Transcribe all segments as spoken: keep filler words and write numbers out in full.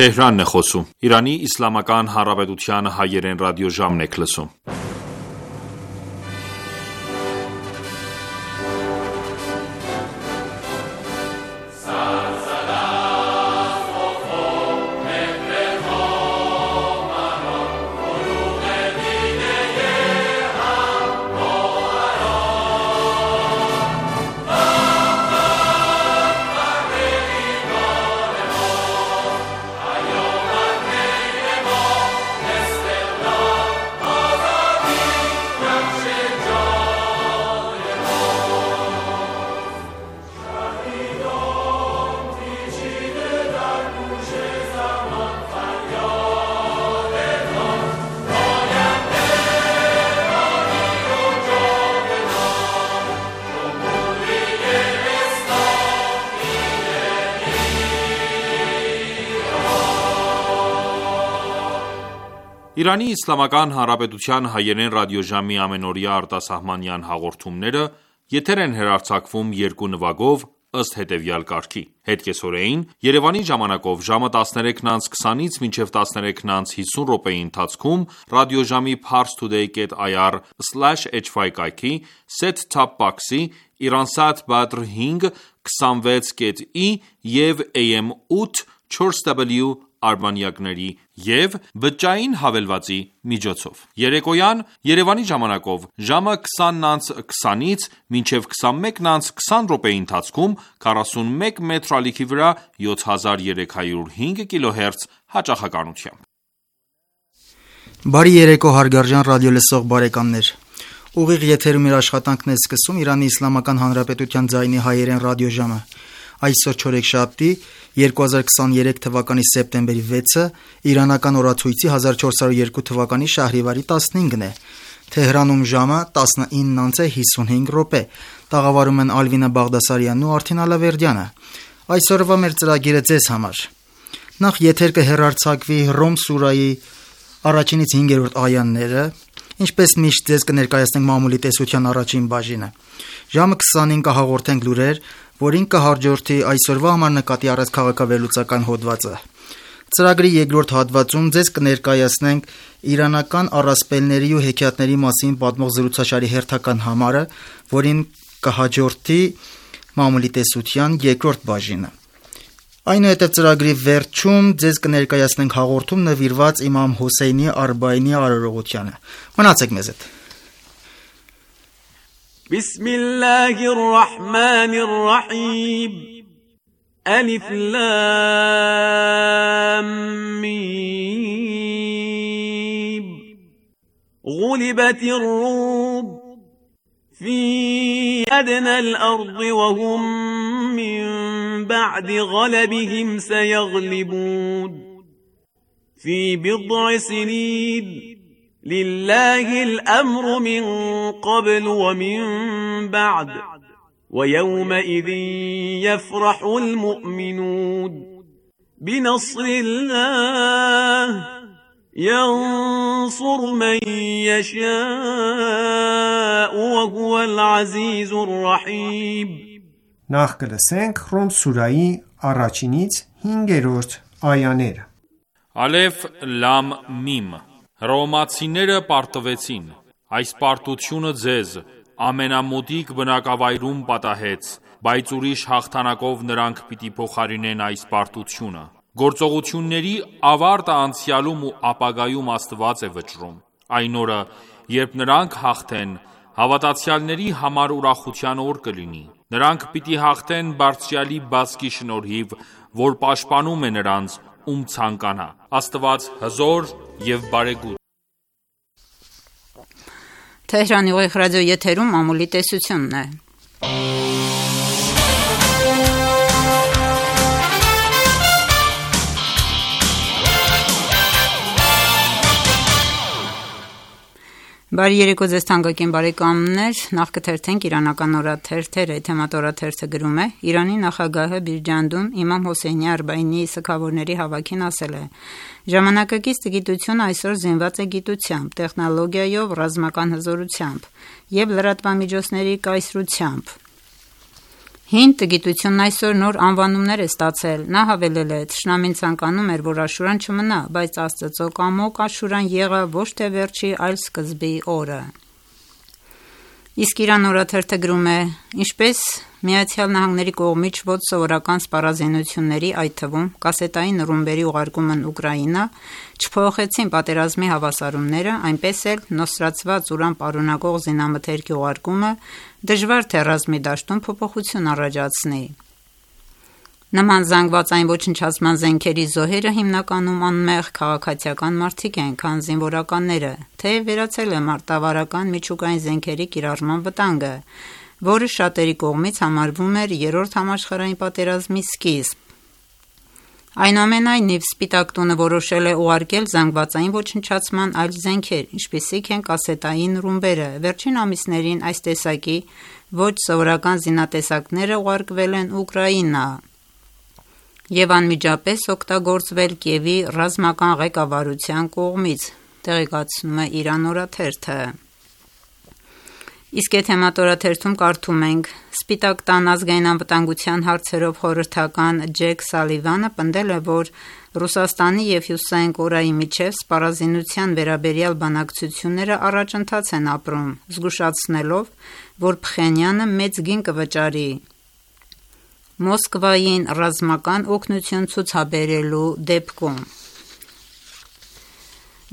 Թեհրանն է խոսում։ Իրանի Իսլամական Հանրապետության հայերեն ռադիոժամն եք լսում։ Իրանի Իսլամական Հանրապետության հայերեն ռադիոժամի ամենօրյա արտասահմանյան հաղորդումները եթեր են հեռարձակվում երկու նվագով ըստ հետևյալ կարգի: Հետկեսօրեին Երևանի ժամանակով ժամը տասներեքն անց քսանից մինչև տասներեքն անց հիսուն րոպեի ընթացքում ռադիոժամի parstoday dot i r slash h five կայքի set-top box-ի Iransat Badr հինգ քսանվեց կետ ի և A M ութ չորս W արբանյակների և բջջային հավելվածի միջոցով: Երեկոյան Երևանի ժամանակով ժամը քսանն անց քսանից մինչև քսանմեկն անց քսան րոպեի ընթացքում քառասունմեկ մետր ալիքի վրա յոթ հազար երեք հարյուր հինգ կիլոհերց հաճախականությամբ: Բարի երեկո հարգարժան ռադիոլսող բարեկամներ: Ուղիղ եթերում իր աշխատանքն է սկսում Իրանի Իսլամական Հանրապետության ձայնի հայերեն ռադիոժամը: Այսօր չորեքշաբթի երկու հազար քսաներեք թվականի սեպտեմբերի վեցը իրանական օրացույցի հազար չորս հարյուր երկու թվականի շահրիվարի տասնհինգն է: Թեհրանում ժամը տասնինն անց հիսունհինգ րոպե: Տաղավարում են Ալվինա Բաղդասարյանն ու Արթին Ալավերդյանը: Այսօրվա մեր ծրագիրը ձեզ համար: Նախ եթեր կհեռարձակվի Ռոմ սուրայի առաջինից հինգերորդ այաները, ինչպես միշտ ձեզ կներկայացնենք մամուլի տեսության առաջին բաժինը: Ժամը քսանին կհաղորդենք լուրեր, որին կհաջորդի այսօրվա համար նկատի առած քաղաքավերլուծական հոդվածը: Ծրագրի երկրորդ հատվածում ձեզ կներկայացնենք իրանական առասպելների ու հեքիաթների մասին պատմող զրուցաշարի հերթական համարը, որին կհաջորդի մամուլի տեսության երկրորդ բաժինը: Այնուհետև ծրագրի վերջում ձեզ կներկայացնենք հաղորդում նվիրված իմամ Հոսեյնի Արբաինի արարողությանը: Մնացեք մեզ հետ: Բիսմիլլահիր ռահմանիր ռահիմ Ալիֆ լամ միմ Ղուլիբաթիր ռում في أدنى الأرض وهم من بعد غلبهم سيغلبون في بضع سنين لله الأمر من قبل ومن بعد ويومئذ يفرح المؤمنون بنصر الله ينصر من يشاء وهو العزيز الرحيم Նախ կլսենք Ռոմ սուրայի առաջինից հինգերորդ այաները: Ալեֆ լամ միմ Հռոմեացիները պարտվեցին: Այս պարտությունը ձեզ ամենամոտիկ բնակավայրում պատահեց, բայց ուրիշ հաղթանակով նրանք պիտի փոխարինեն այս պարտությունը: Գործողությունների ավարտը անցյալում ու ապագայում Աստված է վճռում: Այն օրը, երբ նրանք հաղթեն, հավատացյալների համար ուրախության օր կլինի: Նրանք պիտի հաղթեն Բարձրյալի բազկի շնորհիվ, որ պաշտպանում է նրանց, ում ցանկանա: Աստված հզոր և բարեգութ: Թեհրանի ուղիղ ռադիոեթերում մամուլի տեսությունն է: Բարի երեկո ձեզ թանկագին բարեկամներ: Նախ կթերթենք իրանական օրաթերթերը: Թեմատ օրաթերթը գրում է. Իրանի նախագահը Բիրջանդում իմամ Հոսեյնի Արբաինի սգավորների հավաքին ասել է. Ժամանակակից գիտությունը այսօր զինված է գիտությամբ, տեխնոլոգիայով, ռազմական հզորությամբ և լրատվամիջոցների կայսրությամբ: Հին տգիտությունն այսօր նոր անվանումներ է ստացել։ Նա հավելել է. «Թշնամին ցանկանում էր, որ Աշուրան չմնա, բայց Աստծո կամոք Աշուրան եղավ ոչ թե վերջի, այլ սկզբի օրը»։ Իսկ Իրան օրաթերթը գրում է. «Ինչպես Միացյալ Նահանգների կողմից ոչ սովորական սպառազինությունների, այդ թվում կասետային ռումբերի ուղարկումն Ուկրաինա չփոխեցին պատերազմի հավասարումները, այնպես էլ նոսրացված ուրան պարունակող զինամթերքի ուղարկումը դժվար թե ռազմի դաշտում փոփոխություն առաջացնի»։ Նման զանգվածային ոչնչացման զենքերի զոհերը հիմնականում անմեղ քաղաքացիական մարդիկ են, քան զինվորականները, թեև վերացել է մարտավարական միջուկային զենքերի կիրառման վտանգը, որը շատերի կողմից համարվում էր երրորդ համաշխարհային պատերազմի սկիզբ։ Այնուամենայնիվ, Սպիտակ տունը որոշել է ուղարկել զանգվածային ոչնչացման այլ զենքեր, ինչպիսիք են կասետային ռումբերը։ Վերջին ամիսներին այս տեսակի ոչ սովորական զինատեսակները ուղարկվել են Ուկրաինա և անմիջապես օգտագործվել Կիևի ռազմական ղեկավարության կողմից, տեղեկացնում է Իրան օրաթերթը։ Իսկ Եթեմատ օրաթերթում կարդում ենք. «Սպիտակ տան ազգային անվտանգության հարցերով խորհրդական Ջեք Սալիվանը պնդել է, որ Ռուսաստանի և Հյուսիսային Կորեայի միջև սպառազինության վերաբերյալ բանակցությունները առաջընթաց են ապրում, զգուշացնելով, որ Փխենյանը մեծ գին կվճարի Մոսկվային ռազմական օգնություն ցուցաբերելու դեպքում»։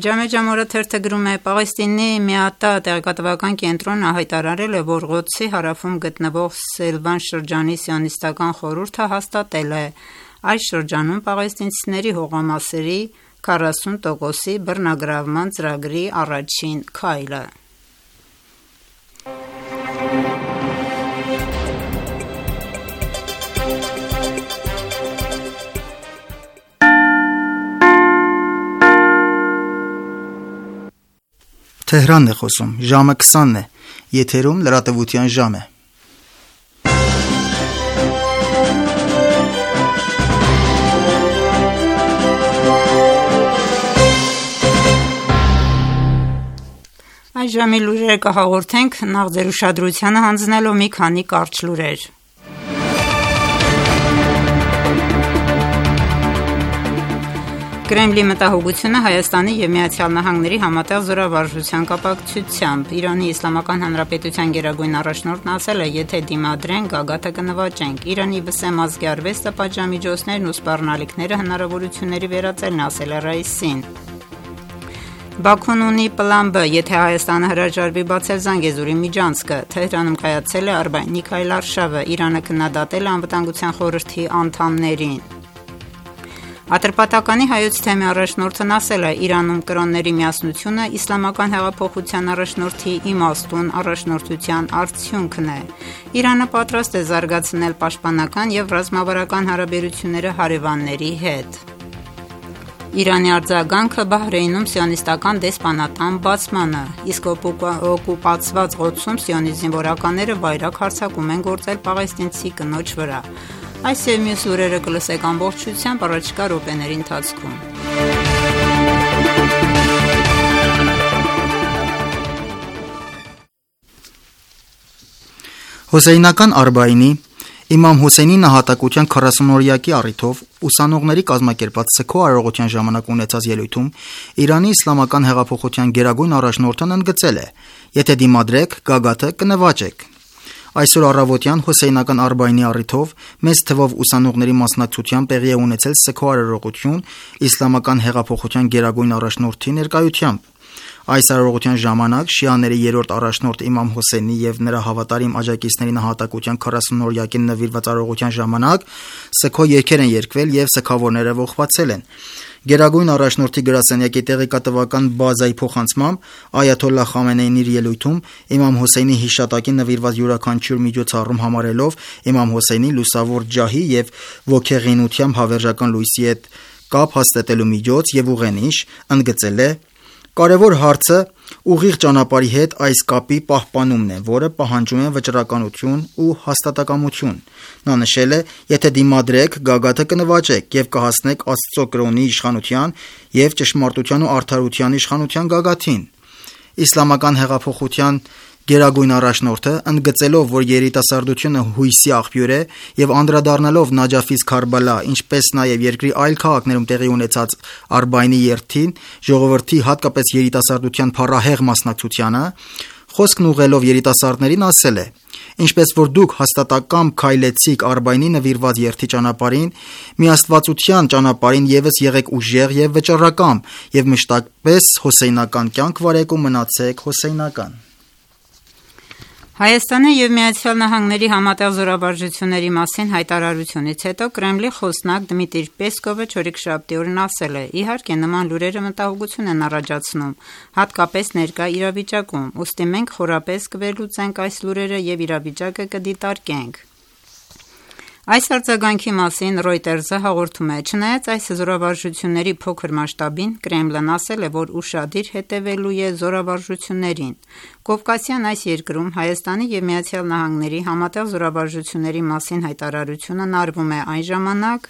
Ջամեջամ օրաթերթը գրում է. «Պաղեստինի Միատա տեղեկատվական կենտրոնը հայտարարել է, որ Ղոդսի հարավում գտնվող Սելվան շրջանի սիոնիստական խորհուրդը հաստատել է այս շրջանում պաղեստինցիների հողամասերի քառասուն տոկոսի բռնագրավման ծրագրի առաջին քայլը»։ Թեհրանն է խոսում, ժամը քսանն է, եթերում լրատվության ժամ է։ Այս ժամի լուրերը կհաղորդենք նախ ձեր ուշադրությանը հանձնելով մի քանի կարճ լուրեր։ Կրեմլի մտահոգությունը Հայաստանի և Միացյալ Նահանգների համատեղ զորավարժության կապակցությամբ։ Իրանի Իսլամական Հանրապետության գերագույն առաջնորդն ասել է, եթե դիմադրեն, գագաթը կնվաճենք։ Իրանի վսեմ ազգի արվեստը, պատժամիջոցներն ու սպառնալիքները հնարավորությունների վերածելն ասել է Ռայիսին։ Բաքուն ունի պլան Բ, եթե Հայաստանը հրաժարվի բացել Զանգեզուրի միջանցքը։ Թեհրանում կայացել է Արբաինի Միքայել արշավը, Իրանը քննադատել է Անվտանգության խորհրդի անդամներին։ Ատրպատականի հայոց թեմի առաջնորդն ասել է, Իրանում կրոնների միասնությունը իսլամական հեղափոխության առաջնորդի իմաստուն առաջնորդության արդյունքն է։ Իրանը պատրաստ է զարգացնել պաշտպանական և ռազմավարական հարաբերությունները հարևանների հետ։ Իրանի արձագանքը Բահրեյնում սիոնիստական դեսպանատան բացմանը, իսկ օկուպացված Ղոդսում սիոնիստ զինվորականները վայրագ հարձակում են գործել պաղեստինցի կնոջ վրա։ Այս և մյուս լուրերը կլսեք ամբողջությամբ առաջիկա րոպեների ընթացքում։ Հոսեյնական Արբաինի Իմամ Հոսեյնի նահատակության քառասունօրյակի առիթով ուսանողների կազմակերպած սգո արարողության ժամանակ ունեցած ելույթում Իրանի Իսլամական հեղափոխության գերագույն առաջնորդն ընդգծել է. «Եթե դիմադրեք, գագաթը կնվաճեք»։ Այսօր առավոտյան Հոսեյնական Արբաինի առիթով մեծ թվով ուսանողների մասնակցությամբ տեղի է ունեցել սգո արարողություն Իսլամական հեղափոխության գերագույն առաջնորդի ներկայությամբ։ Այս արարողության ժամանակ շիաների երրորդ առաջնորդ Իմամ Հոսեյնի և նրա հավատարիմ աջակիցների նահատակության քառասունօրյակին նվիրված արարողության ժամանակ սգո երգեր են երգվել և սգավորները ողբացել են։ Գերագույն առաջնորդի գրասենյակի տեղեկատվական բազայի փոխանցմամբ Այաթոլլահ Խամենեին իր ելույթում Իմամ Հոսեյնի հիշատակին նվիրված յուրաքանչյուր միջոցառում համարելով Իմամ Հոսեյնի լուսավոր ջահի և ոգեղինությամբ հավերժական լույսի հետ կապ հաստատելու միջոց և ուղենիշ, ընդգծել է. «Կարևոր հարցը ուղիղ ճանապարհի հետ այս կապի պահպանումն է, որը պահանջում է վճռականություն ու հաստատակամություն»։ Նա նշել է. «Եթե դիմադրեք, գագաթը կնվաճեք և կհասնեք Աստծո կրոնի իշխանության և ճշմարտության ու արդարության իշխանության գագաթին»։ Իսլամական հեղափոխության գերագույն առաջնորդը, ընդգծելով, որ երիտասարդությունը հույսի աղբյուր է եւ անդրադառնալով Նաջաֆից Քարբալա, ինչպես նաեւ երկրի այլ քաղաքներում տեղի ունեցած Արբայինի երթին, ժողովրդի, հատկապես երիտասարդության փառահեղ մասնակցությանը, խոսքն ուղղելով երիտասարդներին ասել է. «Ինչպես որ դուք հաստատակամ քայլեցիք Արբայինի նվիրված երթի ճանապարհին, միաստվածության ճանապարհին ևս եղեք ուժեղ եւ վճռակամ եւ մշտապես հոսեյնական կյանք վարեք ու մնացեք հոսեյնական»։ Հայաստանի և Միացյալ Նահանգների համատեղ զորավարժությունների մասին հայտարարությունից հետո Կրեմլի խոսնակ Դմիտրի Պեսկովը չորեքշաբթի օրն ասել է. «Իհարկե նման լուրերը մտահոգություն են առաջացնում, հատկապես ներկա իրավիճակում, ուստի մենք խորապես կվերլուծենք այս լուրերը և իրավիճակը կդիտարկենք»։ Այս արձագանքի մասին Reuters-ը հաղորդում է. «Չնայած այս զորավարժությունների փոքր մասշտաբին, Կրեմլն ասել է, որ ուշադիր հետևելու է զորավարժություններին»։ Կովկասյան այս երկրում Հայաստանի և Միացյալ Նահանգների համատեղ զորավարժությունների մասին հայտարարությունն արվում է այն ժամանակ,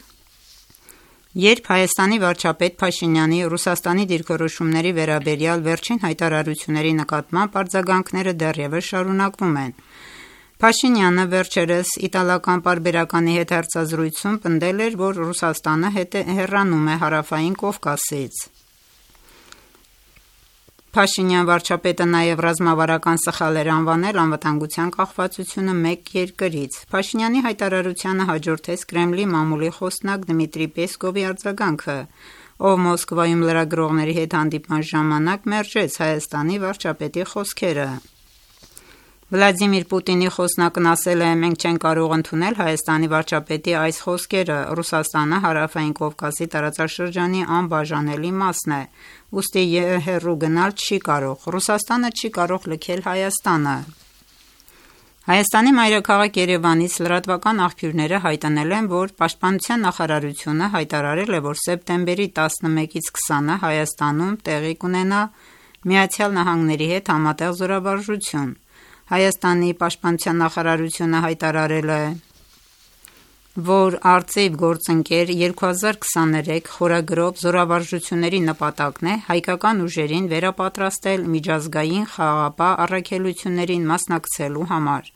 երբ Հայաստանի վարչապետ Փաշինյանի Ռուսաստանի դիրքորոշումների վերաբերյալ վերջին հայտարարությունների նկատմամբ արձագանքները դեռևս շարունակվում են։ Փաշինյանը վերջերս իտալական պարբերականի հետ հարցազրույցում պնդել էր, որ Ռուսաստանը հեռանում է Հարավային Կովկասից։ Փաշինյան վարչապետը նաև ռազմավարական սխալ էր անվանել անվտանգության կախվածությունը մեկ երկրից։ Փաշինյանի հայտարարությանը հաջորդեց Կրեմլի մամուլի խոսնակ Դմիտրի Պեսկովի արձագանքը, ով Մոսկվայում լրագրողների հետ հանդիպման ժամանակ մերժեց Հայաստանի վարչապետի խոսքերը։ Վլադիմիր Պուտինի խոսնակն ասել է. «Մենք չենք կարող ընդունել Հայաստանի վարչապետի այս խոսքերը, Ռուսաստանը Հարավային Կովկասի տարածաշրջանի անբաժանելի մասն է, ուստի հեռու գնալ չի կարող, Ռուսաստանը չի կարող լքել Հայաստանը»։ Հայաստանի մայրաքաղաք Երևանից լրատվական աղբյուրները հայտնել են, որ Պաշտպանության նախարարությունը հայտարարել է, որ սեպտեմբերի տասնմեկից քսանը Հայաստանում տեղի կունենա Միացյալ Նահանգների հետ համատեղ զորավարժություն։ Հայաստանի պաշտպանության նախարարությունը հայտարարել է, որ արծիվ գործընկեր երկու հազար քսաներեք խորագրով զորավարժությունների նպատակն է հայկական ուժերին վերապատրաստել միջազգային խաղաղապահ առաքելություններին մասնակցելու համար։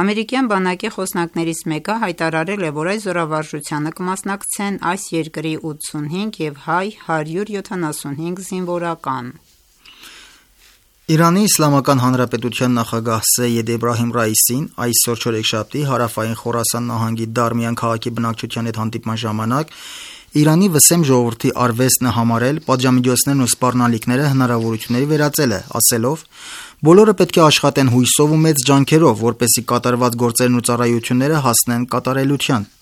Ամերիկյան բանակի խոսնակներից մեկը հայտարարել է, որ այս զորավարժությանը կմասնակցեն այս երկրի ութսունհինգ և հայ հարյուր յոթանասունհինգ զինվորական։ Իրանի Իսլամական Հանրապետության նախագահ Սեյեդ Էբրահիմ Ռայիսին այսօր չորեքշաբթի Հարավային Խորասան նահանգի Դարմիան քաղաքի բնակչության հետ հանդիպման ժամանակ Իրանի վսեմ ժողովրդի արվեստն է համարել պատժամիջոցներն ու սպառնալիքները հնարավորությունների վերածելը, ասելով. «Բոլորը պետք է աշխատեն հույսով ու մեծ ջանքերով, որպեսզի կատարված գործերն ու ծառայությունները հասնեն կատարելության»։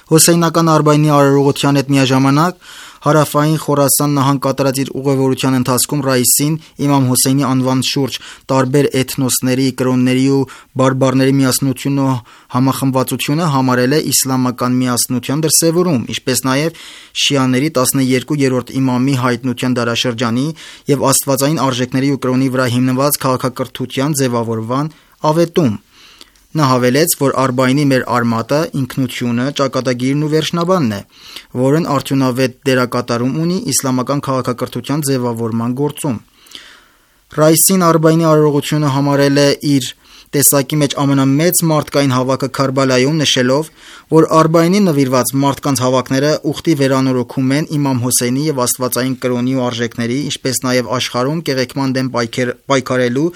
Հոսեյնական Արբայինի արարողության հետ միաժամանակ Հարավային Խորասան նահանգ կատարած իր ուղևորության ընթացքում Ռայիսին Իմամ Հոսեյնի անվան շուրջ տարբեր էթնոսների, կրոնների ու բարբառների միասնությունն ու համախմբվածությունը համարել է իսլամական միասնության դրսևորում, ինչպես նաև շիաների տասներկուերորդ իմամի հայտնության դարաշրջանի և աստվածային արժեքների ու կրոնի վրա հիմնված քաղաքակրթության ձևավորման աղետում։ Նա հավելեց, որ Արբայինի մեր արմատը ինքնությունը, ճակատագիրն ու վերջնաբանն է, որն արդյունավետ դերակատարում ունի իսլամական քաղաքակրթության ձևավորման գործում։ Ռայիսին Արբայինի արարողությունը համարել է իր տեսակի մեջ ամենամեծ մարդկային հավաքը Քարբալայում, նշելով, որ Արբայինի նվիրված մարդկանց հավաքները ուխտի վերանորոգում են Իմամ Հոսեյնի և աստվածային կրոնի ու արժեքների, ինչպես նաև աշխարհում կեղեքման դեմ պայքարելու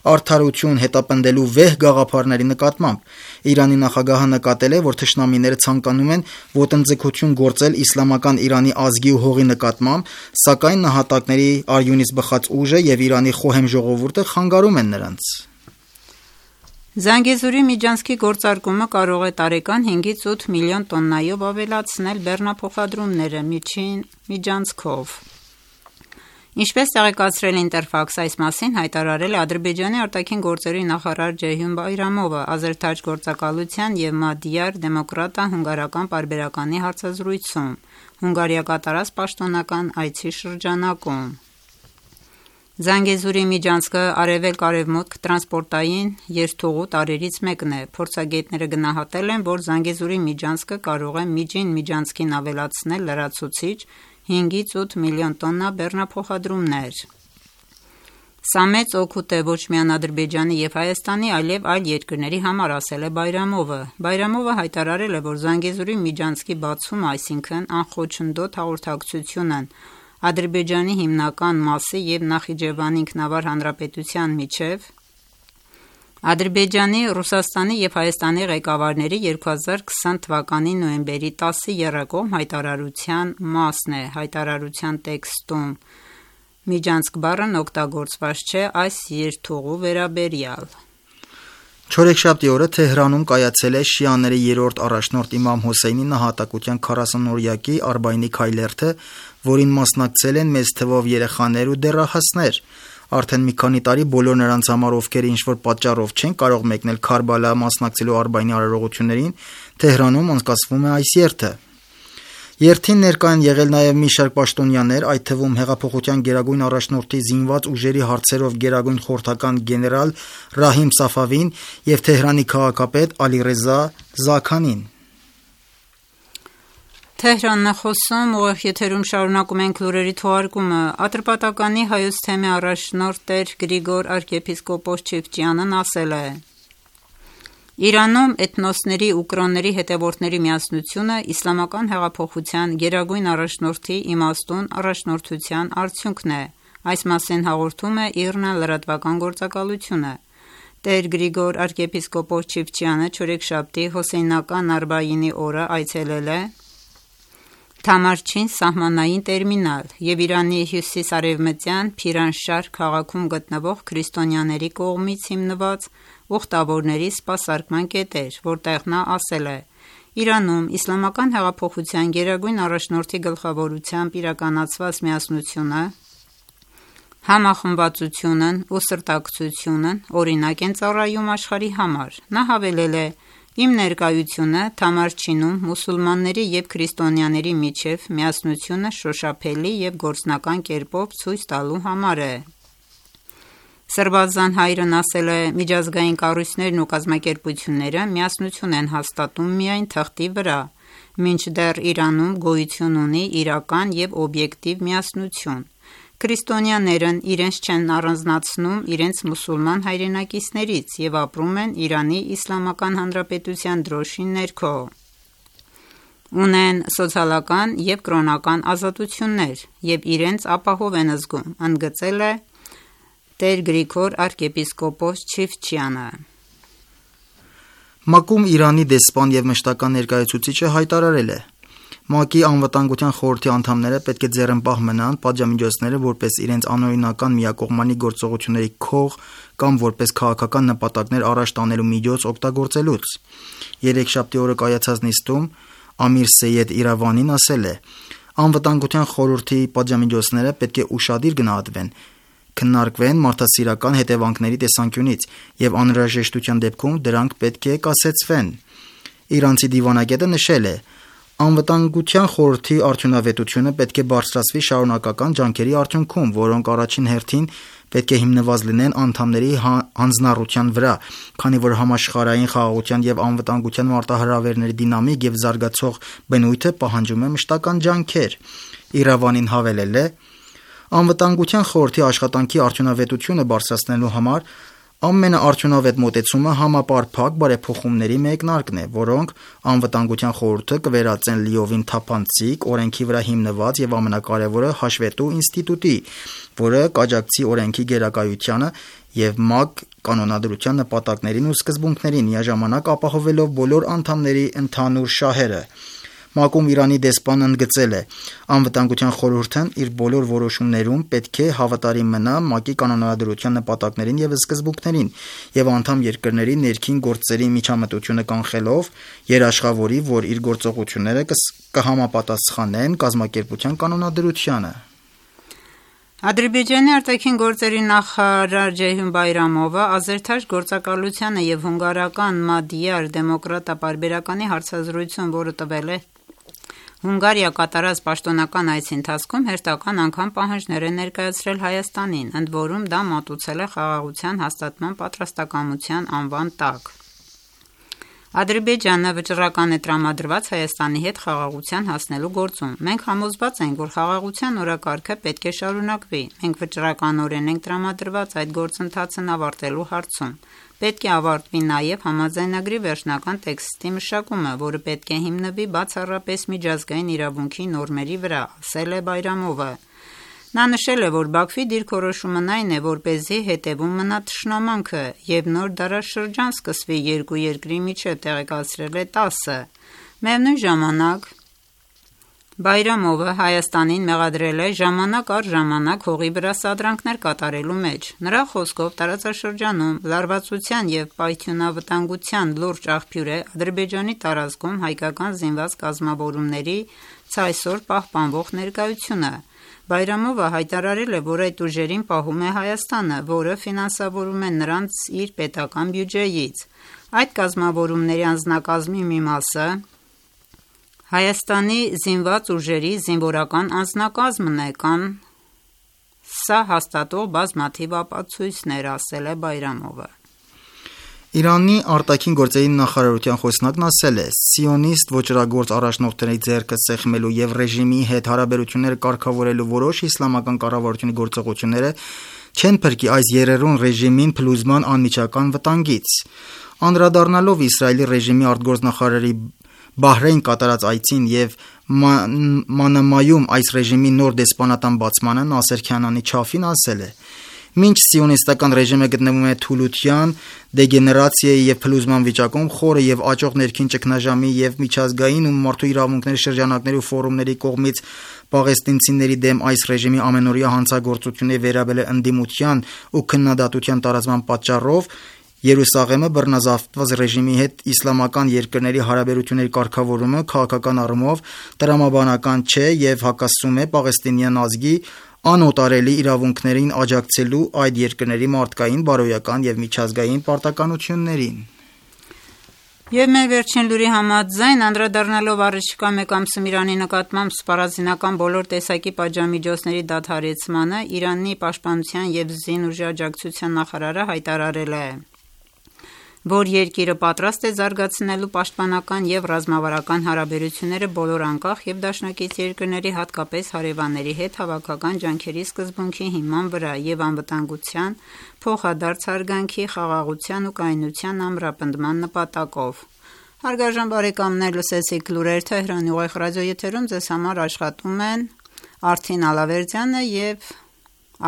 արդարություն հետապնդելու վեհ գաղափարների նկատմամբ։ Իրանի նախագահը նկատել է, որ թշնամիները ցանկանում են ոտնձգություն գործել իսլամական Իրանի ազգի ու հողի նկատմամբ, սակայն նահատակների արյունից բխած ուժը և Իրանի խոհեմ ժողովուրդը խանգարում են նրանց։ Զանգեզուրի միջանցքի գործարկումը կարող է տարեկան հինգից ութ միլիոն տոննայով ավելացնել բեռնափոխադրումները միջին միջանցքով։ Ինչպես տեղեկացրել Ինտերֆաքս, այս մասին հայտարարել է Ադրբեջանի արտաքին գործերի նախարար Ջեյհուն Բայրամովը Ազերթաջ գործակալության և Մադիար դեմոկրատա-հունգարական պարբերականի հարցազրույցում Հունգարիա կատարած պաշտոնական այցի շրջանակում։ Զանգեզուրի միջանցքը արևելք-արևմուտք տրանսպորտային երթուղու տարրերից մեկն է։ Փորձագետները գնահատել են, որ Զանգեզուրի միջանցքը կարող է միջին միջանցքին ավելացնել լրացուցիչ հինգից ութ միլիոն տոննա բեռնափոխադրումներ։ Սա մեծ օգուտ է ոչ միայն Ադրբեջանի և Հայաստանի, այլև այլ երկրների համար, ասել է Բայրամովը։ Բայրամովը հայտարարել է, որ Զանգեզուրի միջանցքի բացումը, այսինքն անխոչնդոտ հաղորդակցությունն Ադրբեջանի հիմնական մասի և Նախիջևանի ինքնավար հանրապետության միջև Ադրբեջանի, Ռուսաստանի և Հայաստանի ղեկավարների երկու հազար քսան թվականի նոյեմբերի տասը եռակողմ հայտարարության մասն է։ Հայտարարության տեքստում միջանցք բառն օգտագործված չէ այս երթուղու վերաբերյալ։ Չորեքշաբթի օրը Թեհրանում կայացել է շիաների երրորդ առաջնորդ իմամ Հոսեյնի նահատակության քառասունօրյակի Արբաինի քայլերթը, որին մասնակցել են մեծ թվով երեխաներ ու դեռահասներ։ Արդեն մի քանի տարի բոլոր նրանց համար, ովքեր ինչ-որ պատճառով չեն կարող մեկնել Քարբալա մասնակցելու Արբաինի արարողություններին, Թեհրանում անցկացվում է այս երթը։ Երթին ներկա են եղել նաև մի շարք պաշտոնյաներ, այդ թվում հեղափոխության գերագույն առաջնորդի զինված ուժերի հարցերով գերագույն խորհրդական գեներալ Ռահիմ Սաֆավին և Թեհրանի քաղաքապետ Ալիռեզա Զաքանին։ Թեհրանն է խոսում, ուղիղ եթերում շարունակում ենք լուրերի թողարկումը։ Ատրպատականի հայոց թեմի առաջնորդ տեր Գրիգոր arczepiskopos Չիվչյանն ասել է. Իրանում էթնոսների ու կրոնների հետևորդների միասնությունը իսլամական հեղափոխության գերագույն առաջնորդի իմաստուն առաջնորդության արդյունքն է։ Այս մասին հաղորդում է ԻՌՆ լրատվական գործակալությունը։ Տեր Գրիգոր arczepiskopos Չիվչյանը չորեքշաբթի Հոսեյնական Արբաինի օրը այցելել է Թամարչին սահմանային տերմինալ և Իրանի հյուսիս-արևմտյան Փիրանշահր քաղաքում գտնվող քրիստոնյաների կողմից հիմնված ուխտավորների սպասարկման կետեր, որտեղ նա ասել է. Իրանում իսլամական հեղափոխության գերագույն առաջնորդի գլխավորությամբ իրականացված միասնությունը, համախմբվածությունն ու սրտակցությունն օրինակ են ծառայում աշխարհի համար։ Նա հավելել է. Իմ ներկայությունը Թամարչինում մուսուլմանների և քրիստոնյաների միջև միասնությունը շոշափելի և գործնական կերպով ցույց տալու համար է։ Սրբազան հայրն ասել է. միջազգային կառույցներն ու կազմակերպությունները միասնություն են հաստատում միայն թղթի վրա, մինչդեռ Իրանում գոյություն ունի իրական և օբյեկտիվ միասնություն։ Քրիստոնյաներն իրենց չեն առանձնացնում իրենց մուսուլման հայրենակիցներից և ապրում են Իրանի Իսլամական Հանրապետության դրոշի ներքո։ Ունեն սոցիալական և կրոնական ազատություններ և իրենց ապահով են զգում, ընդգծել է տեր Գրիգոր arczepiskopos Չիվչյանը։ ՄԱԿ-ում Իրանի դեսպան և մշտական ներկայացուցիչը հայտարարել է. ՄԱԿ-ի անվտանգության խորհրդի անդամները պետք է ձեռնպահ մնան պատժամիջոցները որպես իրենց անօրինական միակողմանի գործողությունների քող կամ որպես քաղաքական նպատակներ առաջ տանելու միջոց օգտագործելուց։ Երեքշաբթի օրը կայացած նիստում Ամիր Սեյեդ Իրավանին ասել է. Անվտանգության խորհրդի պատժամիջոցները պետք է ուշադիր գնահատվեն, քննարկվեն մարդասիրական հետևանքների տեսանկյունից և անհրաժեշտության դեպքում դրանք պետք է կասեցվեն։ Իրանցի դիվանագետը նշել է. Անվտանգության խորհրդի արդյունավետությունը պետք է բարձրացվի շարունակական ջանքերի արդյունքում, որոնք առաջին հերթին պետք է հիմնված լինեն անդամների հանձնառության վրա, քանի որ համաշխարհային խաղաղության և անվտանգության մարտահրավերների դինամիկ և զարգացող բնույթը պահանջում է մշտական ջանքեր։ Իրավանին հավելել է. Անվտանգության խորհրդի աշխատանքի արդյունավետությունը բարձրացնելու համար ամենաարդյունավետ մոտեցումը համապարփակ բարեփոխումների մեկնարկն է, որոնք անվտանգության խորհուրդը կվերածեն լիովին թափանցիկ, օրենքի վրա հիմնված և ամենակարևորը հաշվետու ինստիտուտի, որը կաջակցի օրենքի գերակայությանը և ՄԱԿ կանոնադրության նպատակներին ու սկզբունքներին, միաժամանակ ապահովելով բոլոր անդամների ընդհանուր շահերը։ ՄԱԿ-ում Իրանի դեսպանն ընդգծել է. Անվտանգության խորհուրդն իր բոլոր որոշումներում պետք է հավատարիմ մնա ՄԱԿ-ի կանոնադրության նպատակներին և սկզբունքներին և անդամ երկրների ներքին գործերի միջամտությունը կանխելով երաշխավորի, որ իր գործողությունները կհամապատասխանեն կազմակերպության կանոնադրությանը։ Ադրբեջանի արտաքին գործերի նախարար Ջեյհուն Բայրամովը Ազերթաջ գործակալությանը և հունգարական Մադիար դեմոկրատա պարբերականի հարցազրույցում, որը տվել է Հունգարիա կատարած պաշտոնական այցի ընթացքում, հերթական անգամ պահանջներ է ներկայացրել Հայաստանին, ընդ որում դա մատուցել է խաղաղության հաստատման պատրաստակամության անվան տակ։ Ադրբեջանը վճռական է տրամադրված Հայաստանի հետ խաղաղության հասնելու գործում։ Մենք համոզված ենք, որ խաղաղության օրակարգը պետք է շարունակվի։ Մենք վճռականորեն ենք տրամադրված այդ գործընթացն ավարտելու հարցում։ Պետք է ավարտվի նաև համաձայնագրի վերջնական տեքստի մշակումը, որը պետք է հիմնվի բացառապես միջազգային իրավունքի նորմերի վրա, ասել է Բայրամովը։ Նա նշել է, որ Բաքվի դիրքորոշումն այն է, որպեսզի հետևում մնա թշնամանքը և նոր դարաշրջան սկսվի երկու երկրի միջև, տեղեկացրել է տասը։ Միևնույն ժամանակ Բայրամովը Հայաստանին մեղադրել է ժամանակ առ ժամանակ հողի վրա սադրանքներ կատարելու մեջ։ Նրա խոսքով տարածաշրջանում լարվածության և պայթյունավտանգության լուրջ աղբյուր է Ադրբեջանի տարածքում հայկական զինված կազմավորումների ցայսօր պահպանվող ներկայությունը։ Բայրամովը հայտարարել է, որ այդ ուժերին պահում է Հայաստանը, որը ֆինանսավորում է նրանց իր պետական բյուջեից։ Այդ կազմավորումների անձնակազմի մի մասը Հայաստանի զինված ուժերի զինվորական անձնակազմն է, կան սա հաստատող բազմաթիվ ապացույցներ, ասել է Բայրամովը։ Իրանի արտաքին գործերի նախարարության խոսնակն ասել է. «Սիոնիստ ոճրագործ առաջնորդների ձեռքը սեղմելու եւ ռեժիմի հետ հարաբերությունները կարգավորելու որոշ իսլամական կառավարությունների գործողությունները չեն փրկի այս երերուն ռեժիմին փլուզման անմիջական վտանգից»։ Անդրադառնալով Իսրայելի ռեժիմի արտգործնախարարի Բահրեյն կատարած այցին եւ Մանամայում այս ռեժիմի նոր դեսպանատան բացմանը, Նասեր Քանանի Չաֆին ասել է. «Մինչ սիոնիստական ռեժիմը գտնվում է թուլության, դեգեներացիայի եւ փլուզման վիճակում, խորը եւ աճող ներքին ճգնաժամի եւ միջազգային ու մարդու իրավունքների շրջանակների ու ֆորումների կողմից պաղեստինցիների դեմ այս ռեժիմի ամենօրյա հանցագործությունների վերաբերյալ ընդդիմության ու քննադատության տարածման պատճառով Երուսաղեմը բռնազավթված ռեժիմի հետ իսլամական երկրների հարաբերությունների կարգավորումը քաղաքական առումով տրամաբանական չէ եւ հակասում է պաղեստինյան ազգի անօտարելի իրավունքներին աջակցելու այդ երկրների մարդկային, բարոյական եւ միջազգային պարտականություններին»։ Եվ մեր վերջին լուրի համաձայն, անդրադառնալով առաջիկա մեկ ամսում Իրանի նկատմամբ սպառազինական բոլոր տեսակի պատժամիջոցների դադարեցմանը, Իրանի պաշտպանության եւ զինուժի աջակցության նախարարը հայտարարել է, որ երկիրը պատրաստ է զարգացնելու պաշտպանական եւ ռազմավարական հարաբերությունները բոլոր անկախ եւ դաշնակից երկրների, հատկապես հարևանների հետ հավաքական ջանքերի սկզբունքի հիման վրա եւ անվտանգության, փոխադարձ հարգանքի, խաղաղության ու կայունության ամրապնդման նպատակով։ Հարգարժան բարեկամներ, լսեցիք լուրեր Թեհրանի ուղիղ ռադիոեթերում, ձեզ համար աշխատում են Արթին Ալավերդյանը եւ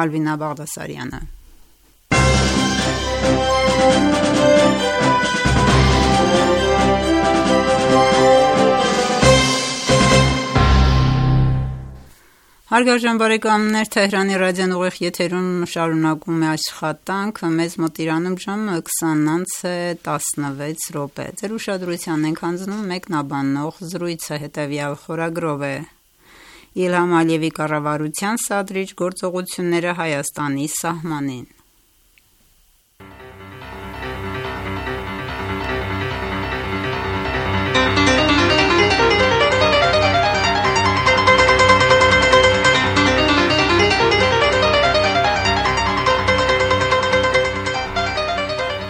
Ալվինա Բաղդասարյանը։ Հարգարժան բարեկամներ, Թեհրանի ռադիոն ուղիղ եթերում շարունակում է աշխատանքը, մեզ մոտ Իրանում ժամը քսանից տասնվեց րոպե։ Ձեր ուշադրության ենք հանձնում մեկնաբանող զրույցը հետևյալ խորագրով է. Իլհամ Ալիևի կառավարության սադրիչ գործողությունները Հայաստանի սահմանին։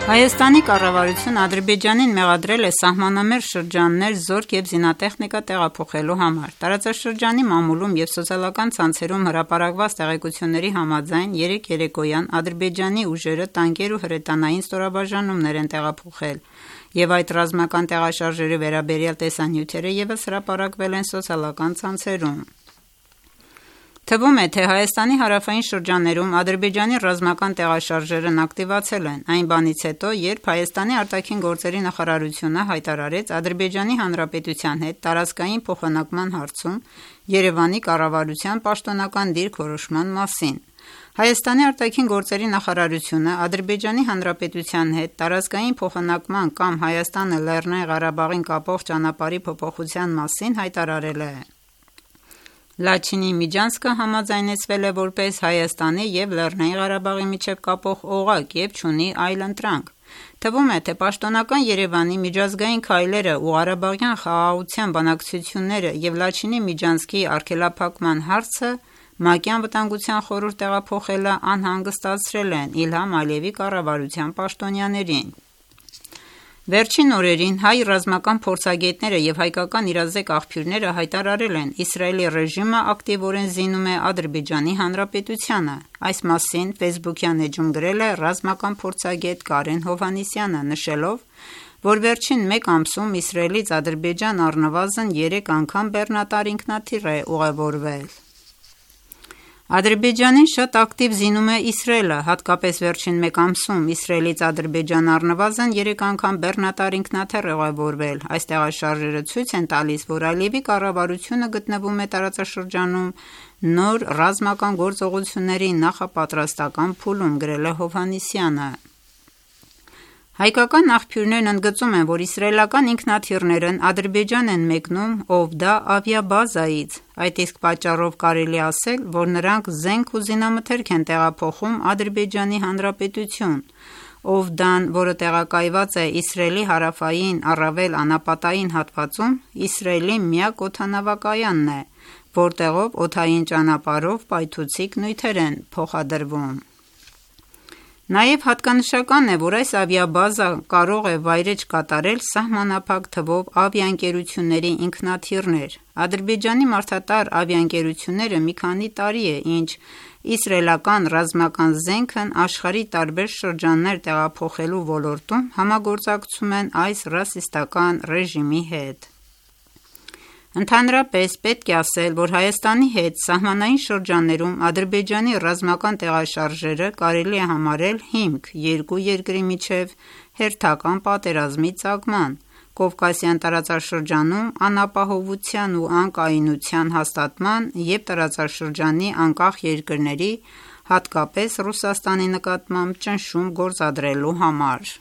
Հայաստանի կառավարությունը Ադրբեջանին մեղադրել է սահմանամերձ շրջաններ զորք եւ զինատեխնիկա տեղափոխելու համար։ Տարածաշրջանի մամուլում եւ սոցիալական ցանցերում հրապարակված տեղեկությունների համաձայն երեկ երեկոյան Ադրբեջանի ուժերը տանկեր ու հրետանային ստորաբաժանումներ են տեղափոխել, եւ այդ ռազմական տեղաշարժերի վերաբերյալ տեսանյութերը եւս հրապարակվել են սոցիալական ցանցերում։ Թվում է, թե Հայաստանի հարավային շրջաններում Ադրբեջանի ռազմական տեղաշարժերն ակտիվացել են այն բանից հետո, երբ Հայաստանի արտաքին գործերի նախարարությունը հայտարարեց Ադրբեջանի Հանրապետության հետ տարածքային փոխանակման հարցում Երևանի կառավարության պաշտոնական դիրքորոշման մասին։ Հայաստանի արտաքին գործերի նախարարությունը Ադրբեջանի Հանրապետության հետ տարածքային փոխանակման կամ Հայաստանը Լեռնային Ղարաբաղին կապող ճանապարհի փոփոխության մասին հայտարարել է. Լաչինի միջանցքը համաձայնեցվել է որպես Հայաստանի եւ Լեռնային Ղարաբաղի միջև կապող օղակ եւ չունի այլ ընտրանք։ Թվում է, թե պաշտոնական Երևանի միջազգային քայլերը ու Ղարաբաղյան խաղաղության բանակցությունները եւ Լաչինի միջանցքի արգելափակման հարցը ՄԱԿ-ի անվտանգության խորհուրդ տեղափոխելը անհանգստացրել են Իլհամ Ալիևի կառավարության պաշտոնյաներին։ Վերջին օրերին հայ ռազմական փորձագետները եւ հայկական իրազեկ աղբյուրները հայտարարել են Իսրայելի ռեժիմը ակտիվորեն զինում է Ադրբեջանի Հանրապետությանը։ Այս մասին Facebook-յան էջում գրել է ռազմական փորձագետ Կարեն Հովհաննիսյանը, նշելով, որ վերջին մեկ ամսում Իսրայելից Ադրբեջան առնվազն երեք անգամ բեռնատար ինքնաթիռ է ուղևորվել։ Ադրբեջանին շատ ակտիվ զինում է Իսրայելը, հատկապես վերջին մեկ ամսում Իսրայելից Ադրբեջան առնվազն երեք անգամ բեռնատար ինքնաթիռ է ուղևորվել։ Այս տեղաշարժերը ցույց են տալիս, որ Ալիևի կառավարությունը գտնվում է տարածաշրջանում նոր ռազմական գործողությունների նախապատրաստական փուլում, գրել է Հովհաննիսյանը։ Հայկական աղբյուրներն ընդգծում են, որ իսրայելական ինքնաթիռներն Ադրբեջան են մեկնում Օվդա ավիաբազայից։ Այդ իսկ պատճառով կարելի ասել, որ նրանք զենք ու զինամթերք են տեղափոխում Ադրբեջանի Հանրապետություն։ Օվդան, որը տեղակայված է Իսրայելի հարավային առավել անապատային հատվածում, Իսրայելի միակ օդանավակայանն է, որտեղով օդային ճանապարհով պայթուցիկ նյութեր են փոխադրվում։ Նաև հատկանշական է, որ այս ավիաբազա կարող է վայրէջք կատարել սահմանափակ թվով ավիաընկերությունների ինքնաթիռներ։ Ադրբեջանի մարդատար ավիաընկերությունները մի քանի տարի է, ինչ իսրայելական ռազմական զենքն աշխարհի տարբեր շրջաններ տեղափոխելու ոլորտում համագործակցում են այս ռասիստական ռեժիմի հետ։ Ընդհանրապես պետք է ասել, որ Հայաստանի հետ սահմանային շրջաններում Ադրբեջանի ռազմական տեղաշարժերը կարելի է համարել հիմք երկու երկրի միջև հերթական պատերազմի ծագման, Կովկասյան տարածաշրջանում անապահովության ու անկայունության հաստատման և տարածաշրջանի անկախ երկրների, հատկապես Ռուսաստանի նկատմամբ ճնշում գործադրելու համար։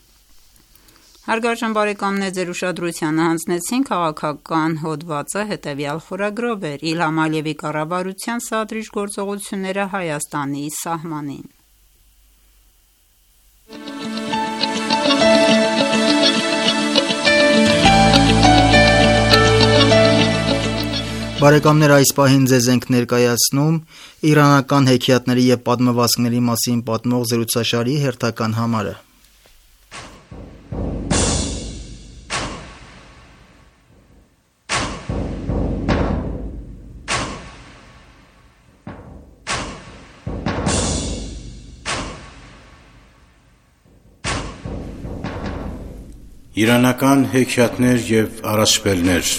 Հարգարժան բարեկամներ, ձեր ուշադրությանը հանձնեցին քաղաքական հոդվածը հետևյալ խորագրով էր Իլհամ Ալիևի կառավարության սադրիչ գործողությունները Հայաստանի սահմանին։ Բարեկամներ, այս պահին ձեզ ենք ներկայացնում իրանական հեքիաթների և պատմվածքների մասին պատմող զրուցաշարի հերթական համարը։ Իրանական հեքիաթներ և առասպելներ։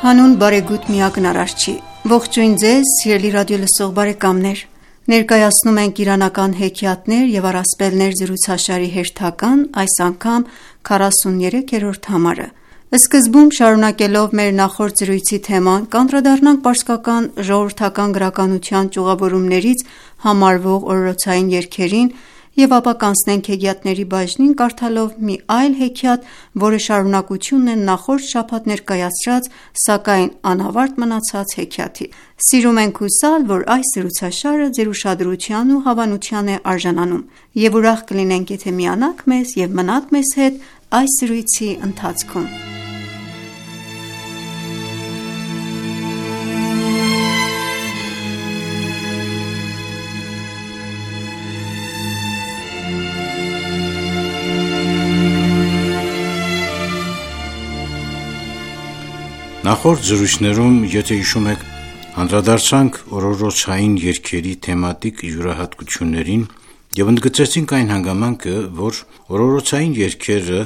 Հանուն բարեգութ միակն արարչի, ողջույն ձեզ սիրելի ռադիոլսող բարեկամներ, ներկայացնում ենք իրանական հեքիաթներ և առասպելներ զրուցաշարի հերթական, այս անգամ քառասուներեքերորդ համարը։ Սկզբում շարունակելով մեր նախորդ զրույցի թեման, կանդրադառնանք պարսկական ժողովրդական գրականության ճյուղավորումներից համարվող օրորոցային երգերին և ապա կանցնենք հեքիաթների բաժնին կարդալով մի այլ հեքիաթ, որը շարունակությունն է նախորդ շաբաթ ներկայացրած, սակայն անավարտ մնացած հեքիաթի։ Սիրում ենք հուսալ, որ այս զրուցաշարը ձեր ուշադրության ու հավանության է արժանանում, և ուրախ կլինենք, եթե միանաք մեզ և մնաք մեզ հետ այս զրույցի ընթացքում։ Նախորդ զրույցներում, եթե հիշում եք, անդրադարձանք օրորոցային երգերի թեմատիկ յուրահատկություններին և ընդգծեցինք այն հանգամանքը, որ օրորոցային երգերը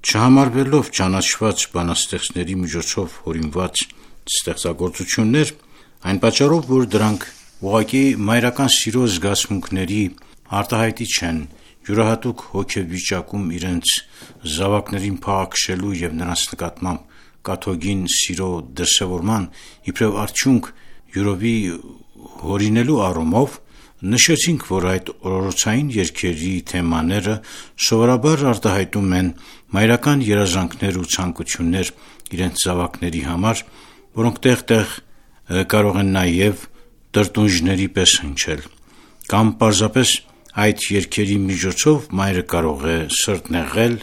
չհամարվելով ճանաչված բանաստեղծների միջոցով հորինված ստեղծագործություններ, այն պատճառով, որ դրանք ուղղակի մայրական սիրո զգացմունքների արտահայտիչ են, յուրահատուկ հոգեվիճակում իրենց զավակներին փաղաքշելու և նրանց նկատմամբ կաթողին սիրո դրսևորման իբրև արդյունք յուրովի հորինելու առումով, նշեցինք, որ այդ օրորոցային երգերի թեմաները սովորաբար արտահայտում են մայրական երազանքներ ու ցանկություններ իրենց զավակների համար, որոնք տեղ-տեղ կարող են նաև տրտունջների պես հնչել, կամ պարզապես այդ երգերի միջոցով մայրը կարող է սրտնեղել,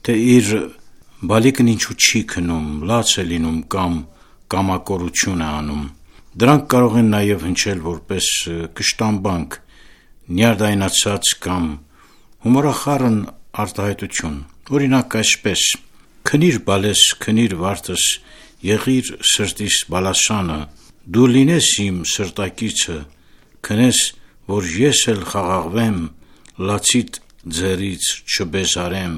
թե իր բալիկն ինչու չի քնում, լաց է լինում կամ կամակորություն է անում։ Դրանք կարող են նաև հնչել որպես կշտամբանք, նյարդայնացած կամ հումորախառն արտահայտություն։ Օրինակ այսպես. «Քնիր բալես, քնիր վարդս, եղիր սրտիս բալասանը, դու լինես իմ սրտակիցը, քնես, որ ես էլ խաղաղվեմ, լացիդ ձեռից չբեզարեմ»։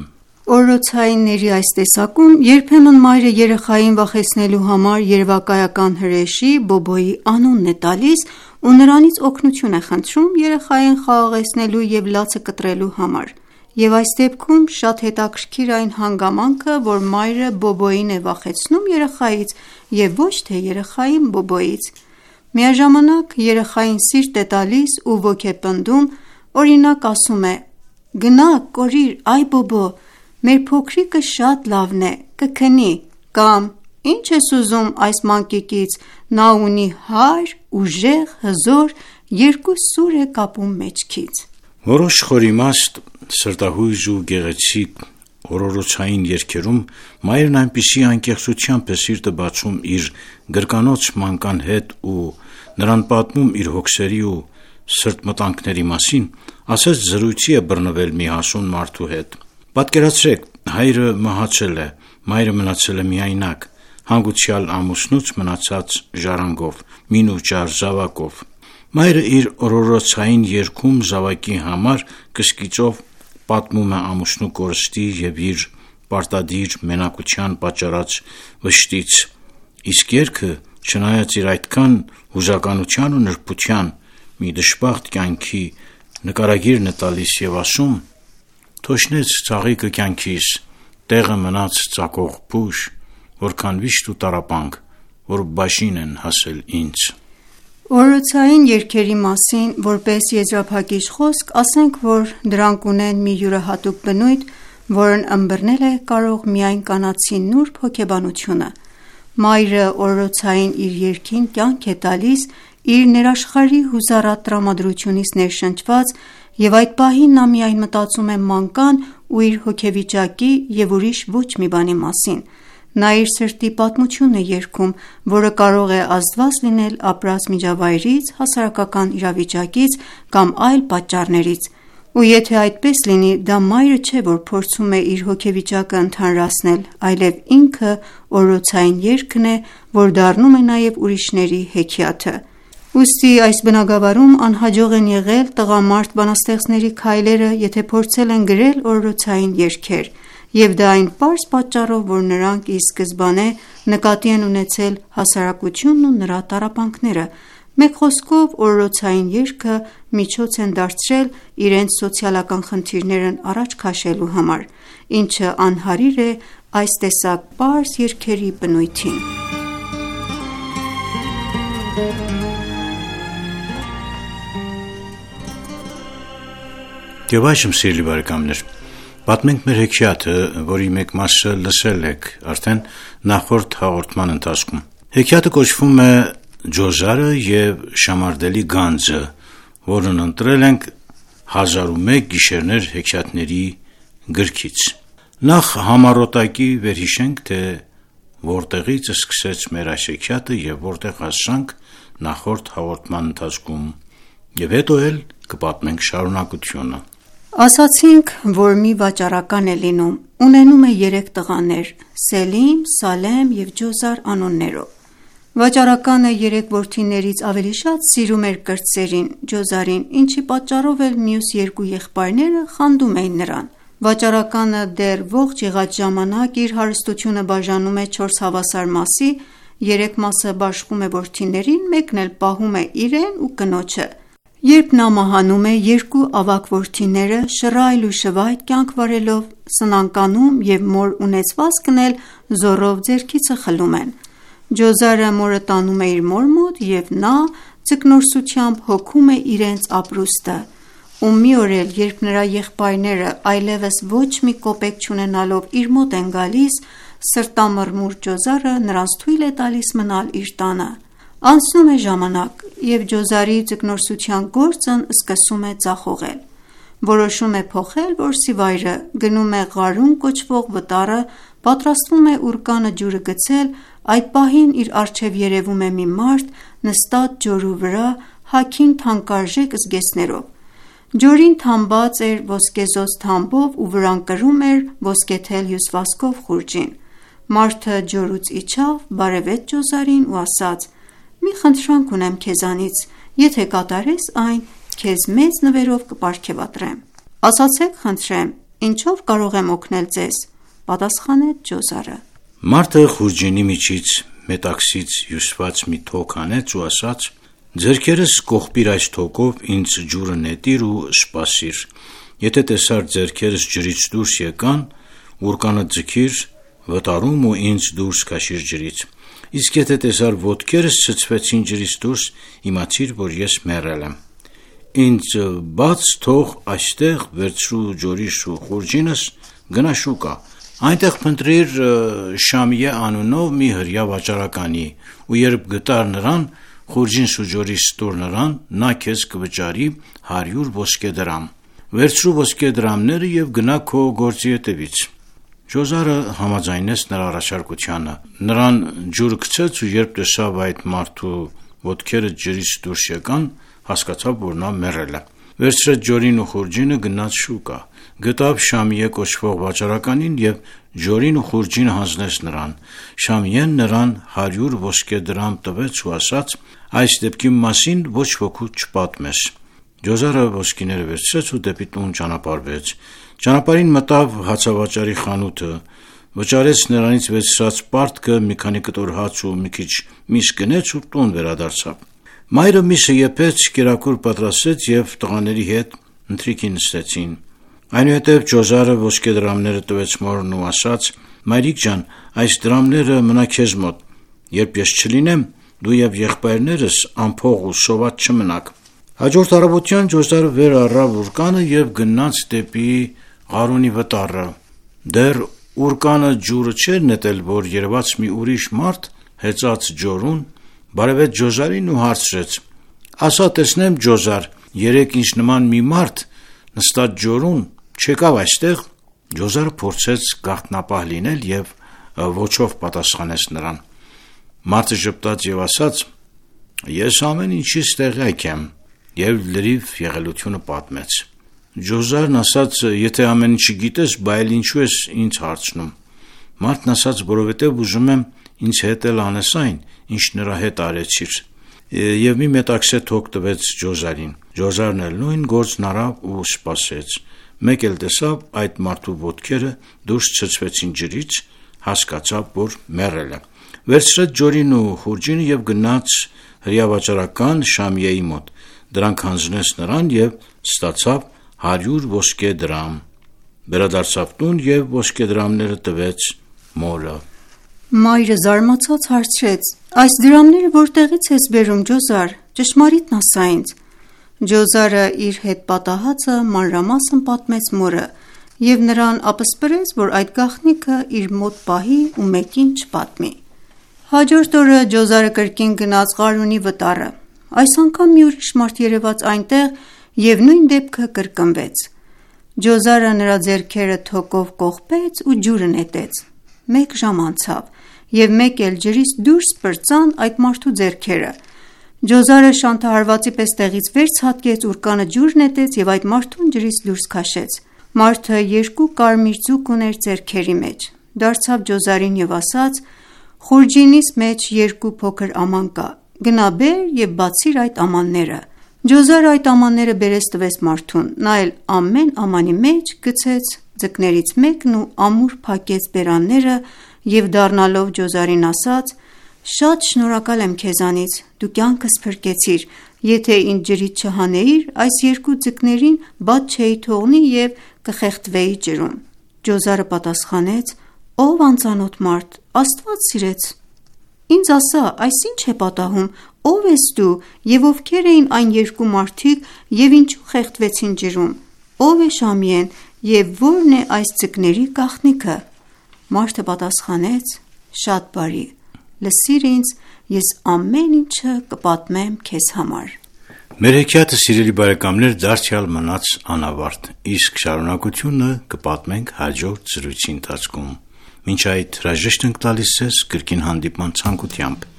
Օրորոցայինների այս տեսակում երբեմն մայրը երեխային վախեցնելու համար երևակայական հրեշի Բոբոյի անունն է տալիս ու նրանից օգնություն է խնդրում երեխային խաղաղեցնելու և լացը կտրելու համար, և այս դեպքում շատ հետաքրքիր այն հանգամանքը, որ մայրը Բոբոյին է վախեցնում երեխայից և ոչ թե երեխային Բոբոյից։ Միաժամանակ երեխային սիրտ է տալիս ու ոգեպնդում, օրինակ ասում է. «Գնա կորիր, այ Բոբո, մեր փոքրիկը շատ լավն է, կքնի», կամ «Ինչ ես ուզում այս մանկիկից, նա ունի հարր, ուժեղ, հզոր, երկու սուր է կապում մեջքից»։ Որոշ խորիմաստ, սրտահույժ ու գեղեցիկ օրորոցային երգերում մայրն այնպիսի անկեղծությամբ է սիրտը բացում իր գրկանոց մանկան հետ ու նրան պատմում իր հոգսերի ու սրտմտանքների մասին, ասես զրույցի է բռնվել մի հասուն մարդու հետ։ Պատկերացրեք, հայրը մահացել է, մայրը մնացել է միայնակ, հանգուցյալ ամուսնուց մնացած ժառանգով, մին ու ճար զավակով։ Մայրը իր օրորոցային երգում զավակի համար կսկիծով պատմում է ամուսնու կորստի և իր պարտադիր մենակության պատճառած վշտից, իսկ երգը, չնայած իր այդքան հուզականության ու նրբության, մի դժբախտ կյանքի նկարագիրն է տալիս և ասում. «Թոշնեց ծաղիկը կյանքիս, տեղը մնաց ծակող փուշ, որքան վիշտ ու տառապանք, որ բաժին են հասել ինձ»։ Օրորոցային երգերի մասին որպես եզրափակիչ խոսք ասենք, որ դրանք ունեն մի յուրահատուկ բնույթ, որն ըմբռնել է կարող միայն կանացի նուրբ հոգեբանությունը։ Մայրը օրորոցային իր երգին կյանք է տալիս իր ներաշխարհի հուզառատ տրամադրությունից ներշնչված, և այդ պահին նա միայն մտածում է մանկան ու իր հոգեվիճակի և ուրիշ ոչ մի բանի մասին։ Նա իր սրտի պատմությունն է երգում, որը կարող է ազդված լինել ապրած միջավայրից, հասարակական իրավիճակից կամ այլ պատճառներից։ Ու եթե այդպես լինի, դա մայրը չէ, որ փորձում է իր հոգեվիճակը ընդհանրացնել, այլև ինքը օրորոցային երգն է, որ դառնում է նաև ուրիշների հեքիաթը։ Ուստի այս բնագավառում անհաջող են եղել տղամարդ բանաստեղծների քայլերը, եթե փորձել են գրել օրորոցային երգեր, և դա այն պարզ պատճառով, որ նրանք ի սկզբանե նկատի են ունեցել հասարակությունն ու նրա տառապանքները։ Մեկ խոսքով, օրորոցային երգը միջոց են դարձրել իրենց սոցիալական խնդիրներն առաջ քաշելու համար, ինչը անհարիր է այս տեսակ պարզ երգերի բնույթին։ Եվ այժմ, սիրելի բարեկամներ, պատմենք մեր հեքիաթը, որի մեկ մասը լսել եք արդեն նախորդ հաղորդման ընթացքում։ Հեքիաթը կոչվում է «Ջոզարը և Շամարդելի գանձը», որն ընտրել ենք հազար ու մեկ գիշերներ հեքիաթների գրքից։ Նախ համառոտակի վերհիշենք, թե որտեղից սկսեց մեր այս հեքիաթը և որտեղ հասանք նախորդ հաղորդման ընթացքում, և հետո էլ կպատմենք շարունակությունը։ Ասացինք, որ մի վաճառական է լինում, ունենում է երեք տղաներ՝ Սելիմ, Սալեմ և Ջոզար անուններով։ Վաճառականը երեք որդիներից ավելի շատ սիրում էր կրտսերին՝ Ջոզարին, ինչի պատճառով էլ մյուս երկու եղբայրները խանդում էին նրան։ Վաճառականը դեռ ողջ եղած ժամանակ իր հարստությունը բաժանում է չորս հավասար մասի, երեք մասը բաշխում է որդիներին, մեկն էլ պահում է իրեն ու կնոջը։ Երբ նա մահանում է, երկու ավագ որդիները շռայլ ու շվայտ կյանք վարելով, սնանկանում և մոր ունեցվածքն էլ զոռով ձեռքիցը խլում են։ Ջոզարը մորը տանում է իր մոր մոտ, և նա ձկնորսությամբ հոգում է իրենց ապրուստը։ Ու մի օր էլ, երբ նրա եղբայրները այլևս ոչ մի կոպեկ չունենալով իր մոտ են գալիս, սրտամռմուռ Ջոզարը նրանց թույլ է տալիս մնալ իր տանը։ Անցնում է ժամանակ, և Ջոզարի ձկնորսության գործն սկսում է ձախողել։ Որոշում է փոխել որսի վայրը, գնում է Ղարուն կոչվող վտարը, պատրաստվում է ուռկանը ջուրը գցել, այդ պահին իր առջև երևում է մի մարդ նստած ջորու վրա, հագին թանկարժեք զգեստներով: Ջորին թամբած էր ոսկեզօծ թամբով ու վրան կրում էր ոսկեթել հյուսվածքով խուրջին: Մարդը ջորուց իջավ, բարևեց ջոզարին ու ասաց. «Մի խնդրանք ունեմ քեզանից, եթե կատարես այն, քեզ մեծ նվերով կպարգևատրեմ»: «Ասացեք խնդրեմ, ինչով կարող եմ օգնել ձեզ»: պատասխանեց ջոզարը: Մարդը խուրջինի միջից մետաքսից հյուսված մի թոք հանեց ու ասաց. «Ձեռքերս կողպիր այս թոքով, ինձ ջուրը նետիր ու սպասիր: Եթե տեսար ձեռքերս ջրից դուրս եկան, ուռկանը ձգիր վտարում ու ինձ դուրս քաշիր ջրից: Իսկ եթե տեսար ոտքերս ցցվեցին ջրից դուրս, իմացիր, որ ես մեռել եմ: Ինձ բաց թող այստեղ, վերցրու ջորիս ու խուրջինս, գնա շուկա: Այնտեղ փնտրիր Շամիե անունով մի հրեա վաճառականի ու երբ գտար նրան, խուրջինս ու ջորիս տուր նրան, նա քեզ կվճարի հարյուր ոսկե դրամ: Վերցրու ոսկե դրամները և գնա քո գործի հետևից»: Ջոզարը համաձայնեց նրա առաջարկությանը: Նրան ջուրը գցեց ու երբ տեսավ այդ մարդու ոտքերը ջրից դուրս եկան, հասկացավ, որ նա մեռել է: Վերցրեց ջորին ու խուրջինը, գնաց շուկա: Գտավ Շամիե կոչվող վաճառականին և ջորին ու խուրջինը հանձնեց նրան: Շամիեն նրան հարյուր ոսկե դրամ տվեց ու ասաց. «Այս դեպքի մասին ոչ ոքու չպատմես»: Ջոզարը ոսկիները վերցրեց ու դեպի տուն ճանապարհվեց: Ճանապարհին մտավ հացավաճառի խանութը, վճարեց նրանից վերցրած պարտքը, մի քանի կտոր հաց ու մի քիչ միս գնեց ու տուն վերադարձավ: Մայրը միսը եփեց, կերակուր պատրաստեց և տղաների հետ ընթրիքի նստեցին: Այնուհետև ջոզարը ոսկե դրամները տվեց մորն ու ասաց. «Մայրիկ ջան, այս դրամները մնա քեզ մոտ: Երբ ես չլինեմ, դու և եղբայրներս անփող ու սոված չմնաք»: Հաջորդ առավոտյան ջոզարը վեր առավ ուռկանը և գնաց դեպի Ղարունի վտարը: Դեռ ուռկանը ջուրը չէր նետել, որ երևաց մի ուրիշ մարդ հեծած ջորուն, բարևեց ջոզարին ու հարցրեց. «Ասա տեսնեմ ջոզար, երեկ ինձ նման մի մարդ նստած ջորուն չեկավ այստեղ»: Ջոզարը փորձեց գաղտնապահ լինել և ոչով պատասխանեց նրան: Մարդը ժպտաց և ասաց. «Ես ամեն ինչից տեղյակ եմ» և լրիվ եղելությունը պատմեց: Ջոզարն ասաց. «Եթե ամեն ինչը գիտես, բա էլ ինչու ես ինձ հարցնում»: Մարդն ասաց. «Որովհետև ուզում եմ ինձ հետ էլ անես այն, ինչ նրա հետ արեցիր»: Եվ մի մետաքսե թոք տվեց ջոզարին: Ջոզարն էլ նույն գործն արավ ու սպասեց: Մեկ էլ տեսավ այդ մարդու ոտքերը դուրս ցցվեցին ջրից, հասկացավ, որ մեռել է: Վերցրեց ջորին ու խուրջինը և գնաց հրեա-վաճառական Շամիեի մոտ: Դրանք հանձնեց նրան և ստացավ հարյուր ոսկե դրամ: Վերադարձավ տուն և ոսկե դրամները տվեց մորը: Մայրը զարմացած հարցրեց. «Այս դրամները որտեղից ես բերում ջոզար, ճշմարիտն ասա ինձ»: Ջոզարը իր հետ պատահածը մանրամասն պատմեց մորը և նրան ապսպրեց, որ այդ գաղտնիքը իր մոտ պահի ու մեկին չպատմի: Հաջորդ օրը ջոզարը կրկին գնաց Ղարունի վտարը: Այս անգամ մի ուրիշ մարդ երևաց այնտեղ և նույն դեպքը կրկնվեց: Ջոզարը նրա ձեռքերը թոկով կողպեց ու ջուրը նետեց: Մեկ ժամ անցավ և մեկ էլ ջրից դուրս պրծան այդ մարդու ձեռքերը: Ջոզարը շանթահարվածի պես տեղից վեր ցատկեց, ուռկանը ջուր նետեց և այդ մարդուն ջրից դուրս քաշեց: Մարդը երկու կարմիր ձուկ ուներ ձեռքերի մեջ: Դարձավ ջոզարին և ասաց. «Խուրջինիս մեջ երկու փոքր աման կա: Գնա բեր և բացիր այդ ամանները»: Ջոզարը այդ ամանները բերեց տվեց մարդուն: Նա էլ ամեն ամանի մեջ գցեց ձկներից մեկն ու ամուր փակեց բերանները և դառնալով ջոզարին ասաց. «Շատ շնորհակալ եմ քեզանից, դու կյանքս փրկեցիր: Եթե ինձ ջրից չհանեիր, այս երկու ձկներին բաց չէի թողնի և կխեղդվեի ջրում»: Ջոզարը պատասխանեց. «Ով անծանոթ մարդ, Աստված սիրեց: Ինձ ասա, այս ի՞նչ է պատահում, ով ես դու և ովքեր էին այն երկու մարդիկ և ինչու խեղդվեցին ջրում: Ո՞վ է Շամիեն և ո՞րն է այս ձկների գաղտնիքը»: Մարդը պատասխանեց. «Շատ բարի, լսիր ինձ, ես ամեն ինչը կպատմեմ քեզ համար»: Մեր հեքիաթը, սիրելի բարեկամներ, դարձյալ մնաց անավարտ, իսկ շարունակությունը կպատմենք հաջորդ զրույցի ընթացքում։ Մինչ այդ հրաժեշտ ենք տալիս ձեզ կրկին հանդիպման ցանկությամբ։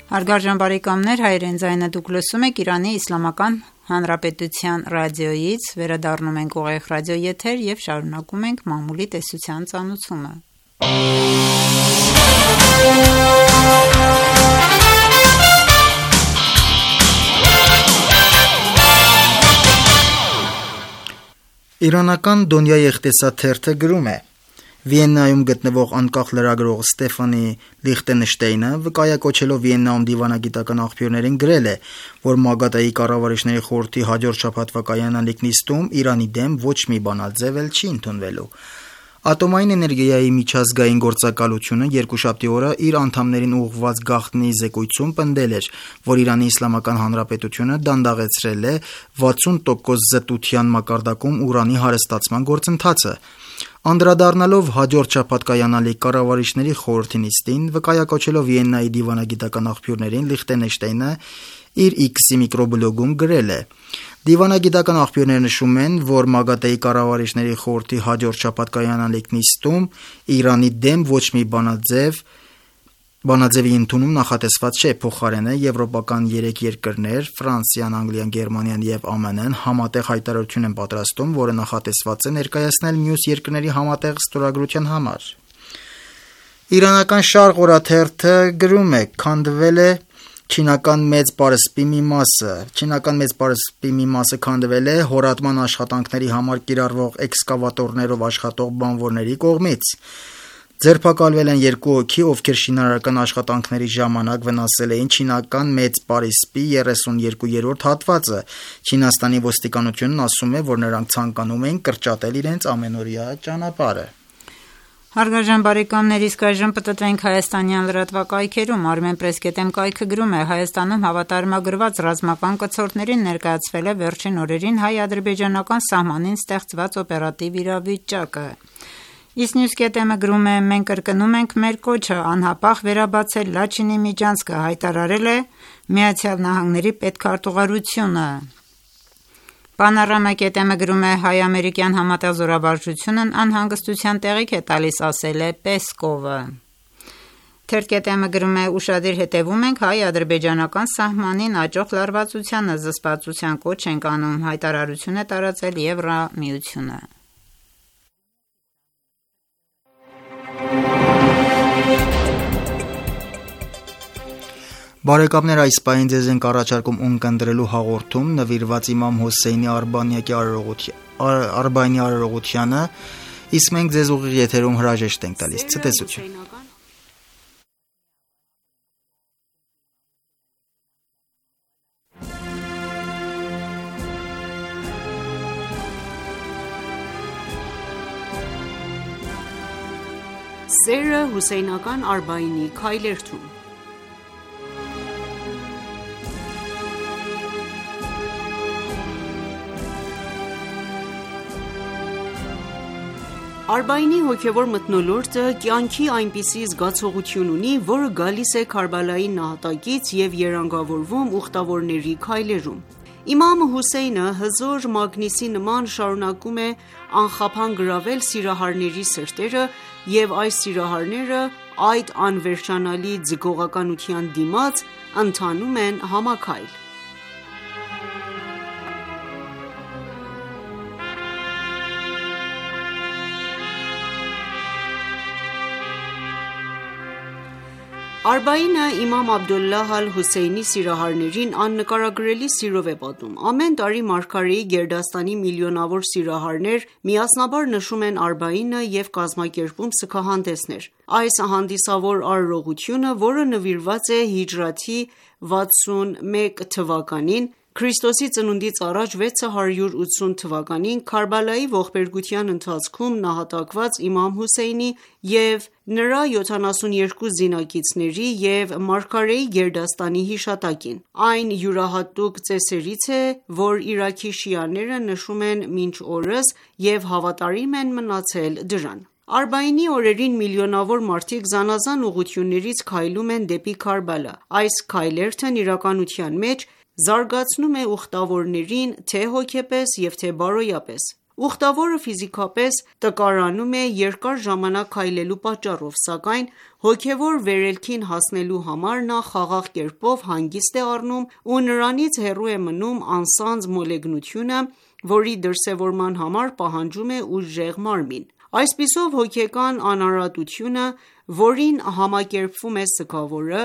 Հարգարժան բարեկամներ, հայրեն ձայնը դուք լսում եք Իրանի Իսլամական Հանրապետության ռադիոյից, վերադառնում ենք ուղիղ ռադիո եթեր եւ շարունակում ենք մամուլի տեսության ծանուցումը։ Իրանական Դոնյա Եղտեսաթերթը գրում է. Վիեննայում գտնվող անկախ լրագրող Ստեֆանի Լիխտենշտեյնը վկայակոչելով Վիեննայում դիվանագիտական աղբյուրներին գրել է, որ ՄԱԳԱՏԷ-ի կառավարիչների խորհրդի հաջորդ շաբաթվա կայանալիք նիստում Իրանի դեմ ոչ մի բանաձև էլ չի ընդունվելու։ Ատոմային էներգիայի միջազգային գործակալությունը երկուշաբթի օրը իր անդամներին ուղղված գաղտնի զեկույցում պնդել էր, որ Իրանի Իսլամական Հանրապետությունը դանդաղեցրել է վաթսուն տոկոս զտության մակարդակում ուրանի հարստացման գործընթացը։ Անդրադառնալով հաջորդ շաբաթ կայանալիք կառավարիչների խորհրդի նիստին, վկայակոչելով Վիեննայի դիվանագիտական աղբյուրներին, Լիխտենշտեյնը իր X-ի միկրոբլոգում գրել է. Դիվանագիտական աղբյուրները նշում են, որ ՄԱԳԱՏԷ-ի կառավարիչների խորհրդի հաջորդ շաբաթ կայանալիք նիստում Իրանի դեմ ոչ մի բանաձև Բանաձևի ընդունում նախատեսված չէ, փոխարենը եվրոպական երեք երկրներ՝ Ֆրանսիան, Անգլիան, Գերմանիան եւ Α M N-ն համատեղ հայտարարություն են պատրաստում, որը նախատեսված է ներկայացնել մյուս երկրների համատեղ ստորագրության համար։ Իրանական Շարղ օրաթերթը գրում է. քանդվել է չինական մեծ պարսպի մի մասը։ Չինական մեծ պարսպի մի մասը քանդվել է հորատման աշխատանքների համար կիրառվող էքսկավատորներով աշխատող բանվորների կողմից։ Ձերբակալվել են երկու հոգի, ովքեր շինարարական աշխատանքների ժամանակ վնասել էին չինական մեծ պարիսպի երեսունյերկուերորդ հատվածը։ Չինաստանի ոստիկանությունն ասում է, որ նրանք ցանկանում էին կրճատել իրենց ամենօրյա ճանապարհը։ Հարգարժան բարեկամներ, իսկ այժմ պատտվենք հայաստանյան լրատվակայքերում։ Armenpress.am կայքը գրում է. Հայաստանում հավատարմագրված ռազմական կցորդներին ներկայացվել է վերջին օրերին հայ-ադրբեջանական սահմանին ստեղծված օպերատիվ իրավիճակը։ Isnews.am-ը գրում է. մենք կրկնում ենք մեր կոչը անհապաղ վերաբացել Լաչինի միջանցքը, հայտարարել է Միացյալ Նահանգների պետքարտուղարությունը։ Panorama.am-ը գրում է. հայ-ամերիկյան համատեղ զորավարժությունն անհանգստության տեղիք է տալիս, ասել է Պեսկովը։ Թերթ.am-ը գրում է. ուշադիր հետևում ենք հայ-ադրբեջանական սահմանին աճող լարվածությանը, զսպվածության կոչ ենք անում, հայտարարություն է տարածել Եվրամիությունը։ Բարեկամներ, այս պահին ձեզ ենք առաջարկում ունկնդրելու հաղորդում նվիրված իմամ Հոսեյնի Արբանյակի Արբայինի արարողությանը, իսկ մենք ձեզ ուղիղ եթերում հրաժեշտ ենք տալիս։ Ցտեսություն։ Սերը հուսեյնական Արբայինի քայլերթում։ Արբայինի հոգևոր մթնոլորտը կյանքի այնպիսի զգացողություն ունի, որը գալիս է Քարբալայի նահատակից և երանգավորվում ուխտավորների քայլերում։ Իմամ Հուսեյնը հզոր մագնիսի նման շարունակում է անխափան գրավել սիրահարների սրտերը, և այս սիրահարները այդ անվերջանալի ձգողականության դիմաց ընթանում են համաքայլ։ Արբայինը իմամ Աբդոլլահ ալ-Հոսեյնի սիրահարներին աննկարագրելի սիրով է պատում։ Ամեն տարի մարգարեի գերդաստանի միլիոնավոր սիրահարներ միասնաբար նշում են Արբայինը և կազմակերպում սգահանդեսներ։ Այս հանդիսավոր արարողությունը, որը նվիրված է հիջրեթի վաթսունմեկ թվականին, Քրիստոսի ծնունդից առաջ վեց հարյուր ութսուն թվականին Քարբալայի ողբերգության ընթացքում նահատակված իմամ Հոսեյնի և նրա յոթանասունյոթ զինակիցների և մարգարեի գերդաստանի հիշատակին: Այն յուրահատուկ ծեսերից է, որ Իրաքի շիաները նշում են մինչ օրս և հավատարիմ են մնացել դրան: Արբաինի օրերին միլիոնավոր մարդիկ զանազան ուղղություններից քայլում են դեպի Քարբալա: Այս քայլերթն իրականության մեջ զարգացնում է ուխտավորներին թե հոգեպես և թե բարոյապես: Ուխտավորը ֆիզիկապես տկարանում է երկար ժամանակ քայլելու պատճառով, սակայն հոգևոր վերելքին հասնելու համար նա խաղաղ կերպով հանգիստ է առնում ու նրանից հեռու է մնում անսանձ մոլեգնությունը, որի դրսևորման համար պահանջում է ուժեղ մարմին: Այսպիսով հոգեկան անարատությունը, որին համակերպվում է սգավորը,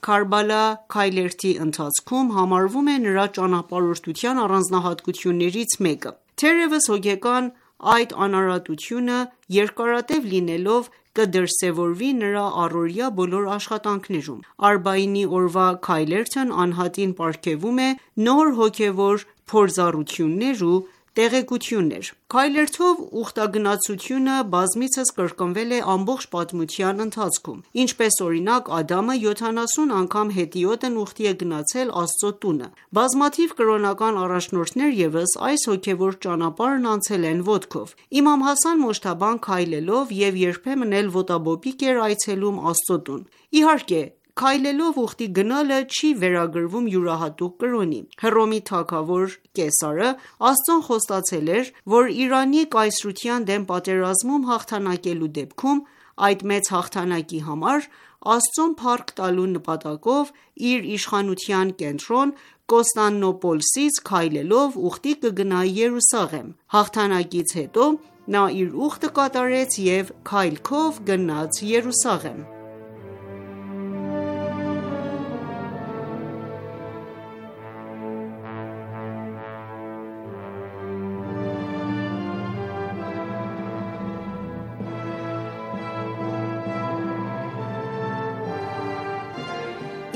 Քարբալա քայլերթի ընթացքում համարվում է նրա ճանապարհորդության առանձնահատկություններից մեկը: Թերևս հոգեկան այդ անարատությունը երկարատև լինելով կդրսևորվի նրա առօրյա բոլոր աշխատանքներում: Արբաինի օրվա քայլերթն անհատին պարգևում է նոր հոգևոր փորձառություններ ու տեղեկություններ: Քայլերթով ուխտագնացությունը բազմիցս կրկնվել է ամբողջ պատմության ընթացքում: Ինչպես օրինակ Ադամը յոթանասուն անգամ հետիոտն ուխտի է գնացել Աստծո տունը: Բազմաթիվ կրոնական առաջնորդներ ևս այս հոգևոր ճանապարհն անցել են ոտքով: Իմամ Հասան Մոջթաբան քայլելով և երբեմն էլ ոտաբոբիկ էր այցելում Աստծո տուն: Իհարկե քայլելով ուխտի գնալը չի վերագրվում յուրահատուկ կրոնի: Հռոմի թագավոր Կեսարը Աստծուն խոստացել էր, որ Իրանի կայսրության դեմ պատերազմում հաղթանակելու դեպքում այդ մեծ հաղթանակի համար Աստծուն փառք տալու նպատակով իր իշխանության կենտրոն Կոստանդնուպոլսից քայլելով ուխտի կգնա Երուսաղեմ: Հաղթանակից հետո նա իր ուխտը կատարեց և քայլքով գնաց Երուսաղեմ: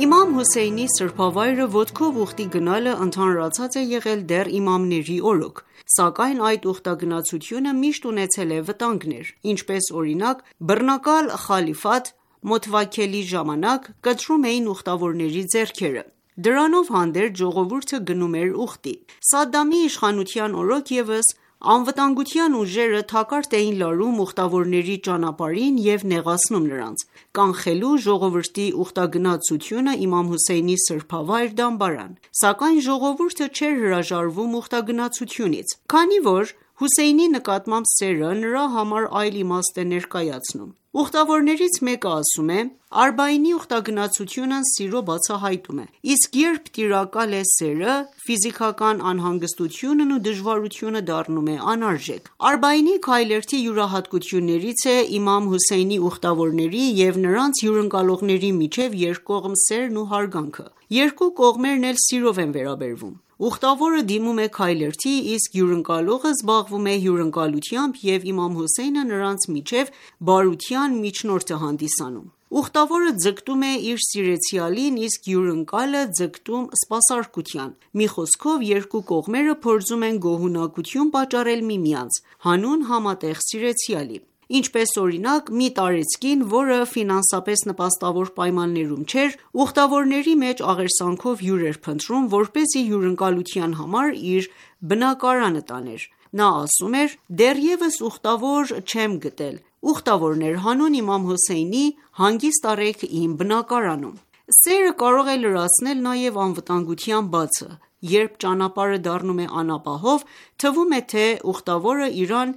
Իմամ Հոսեյնի սրբավայրը ոտքով ուխտի գնալը ընդհանրացած է եղել դեռ իմամների օրոք: Սակայն այդ ուխտագնացությունը միշտ ունեցել է վտանգներ: Ինչպես օրինակ բռնակալ խալիֆատ Մոթվաքքելի ժամանակ կտրում էին ուխտավորների ձեռքերը: Դրանով հանդերձ ժողովուրդը գնում էր ուխտի: Սադամի իշխանության օրոք ևս անվտանգության ուժերը թակարդ էին լարում ուխտավորների ճանապարհին և նեղացնում նրանց, կանխելու ժողովրդի ուխտագնացությունը իմամ Հոսեյնի սրբավայր դամբարան: Սակայն ժողովուրդը չէր հրաժարվում ուխտագնացությունից, քանի որ Հոսեյնի նկատմամբ սերը նրա համար այլ իմաստ է ներկայացնում: Ուխտավորներից մեկը ասում է. «Արբաինի ուխտագնացությունն սիրո բացահայտում է: Իսկ երբ տիրակալ է սերը, ֆիզիկական անհանգստությունն ու դժվարությունը դառնում է անարժեք»: Արբաինի քայլերթի յուրահատկություններից է իմամ Հոսեյնի ուխտավորների և նրանց հյուրընկալողների միջև երկկողմ սերն ու հարգանքը: Երկու կողմերն էլ սիրով են վերաբերվում: Ուխտավորը դիմում է քայլերթի, իսկ հյուրընկալողը զբաղվում է հյուրընկալությամբ և իմամ Հոսեյնը նրանց միջև բարության միջնորդ է հանդիսանում: Ուխտավորը ձգտում է իր սիրեցյալին, իսկ հյուրընկալը ձգտում սպասարկության: Մի խոսքով երկու կողմերը փորձում են գոհունակություն պատճառել միմյանց, հանուն համատեղ սիրեցյալի: Ինչպես օրինակ մի տարեցկին, որը ֆինանսապես նպաստավոր պայմաններում չէր, ուխտավորների մեջ աղերսանքով հյուր էր փնտրում, որպեսզի հյուրընկալության համար իր բնակարանը տաներ: Նա ասում էր. «Դեռևս ուխտավոր չեմ գտել: Ուխտավորներ հանուն իմամ Հոսեյնի հանգիստ առեք իմ բնակարանում»: Սերը կարող է լրացնել նաև անվտանգության բացը: Երբ ճանապարհը դառնում է անապահով, թվում է, թե ուխտավորը իրան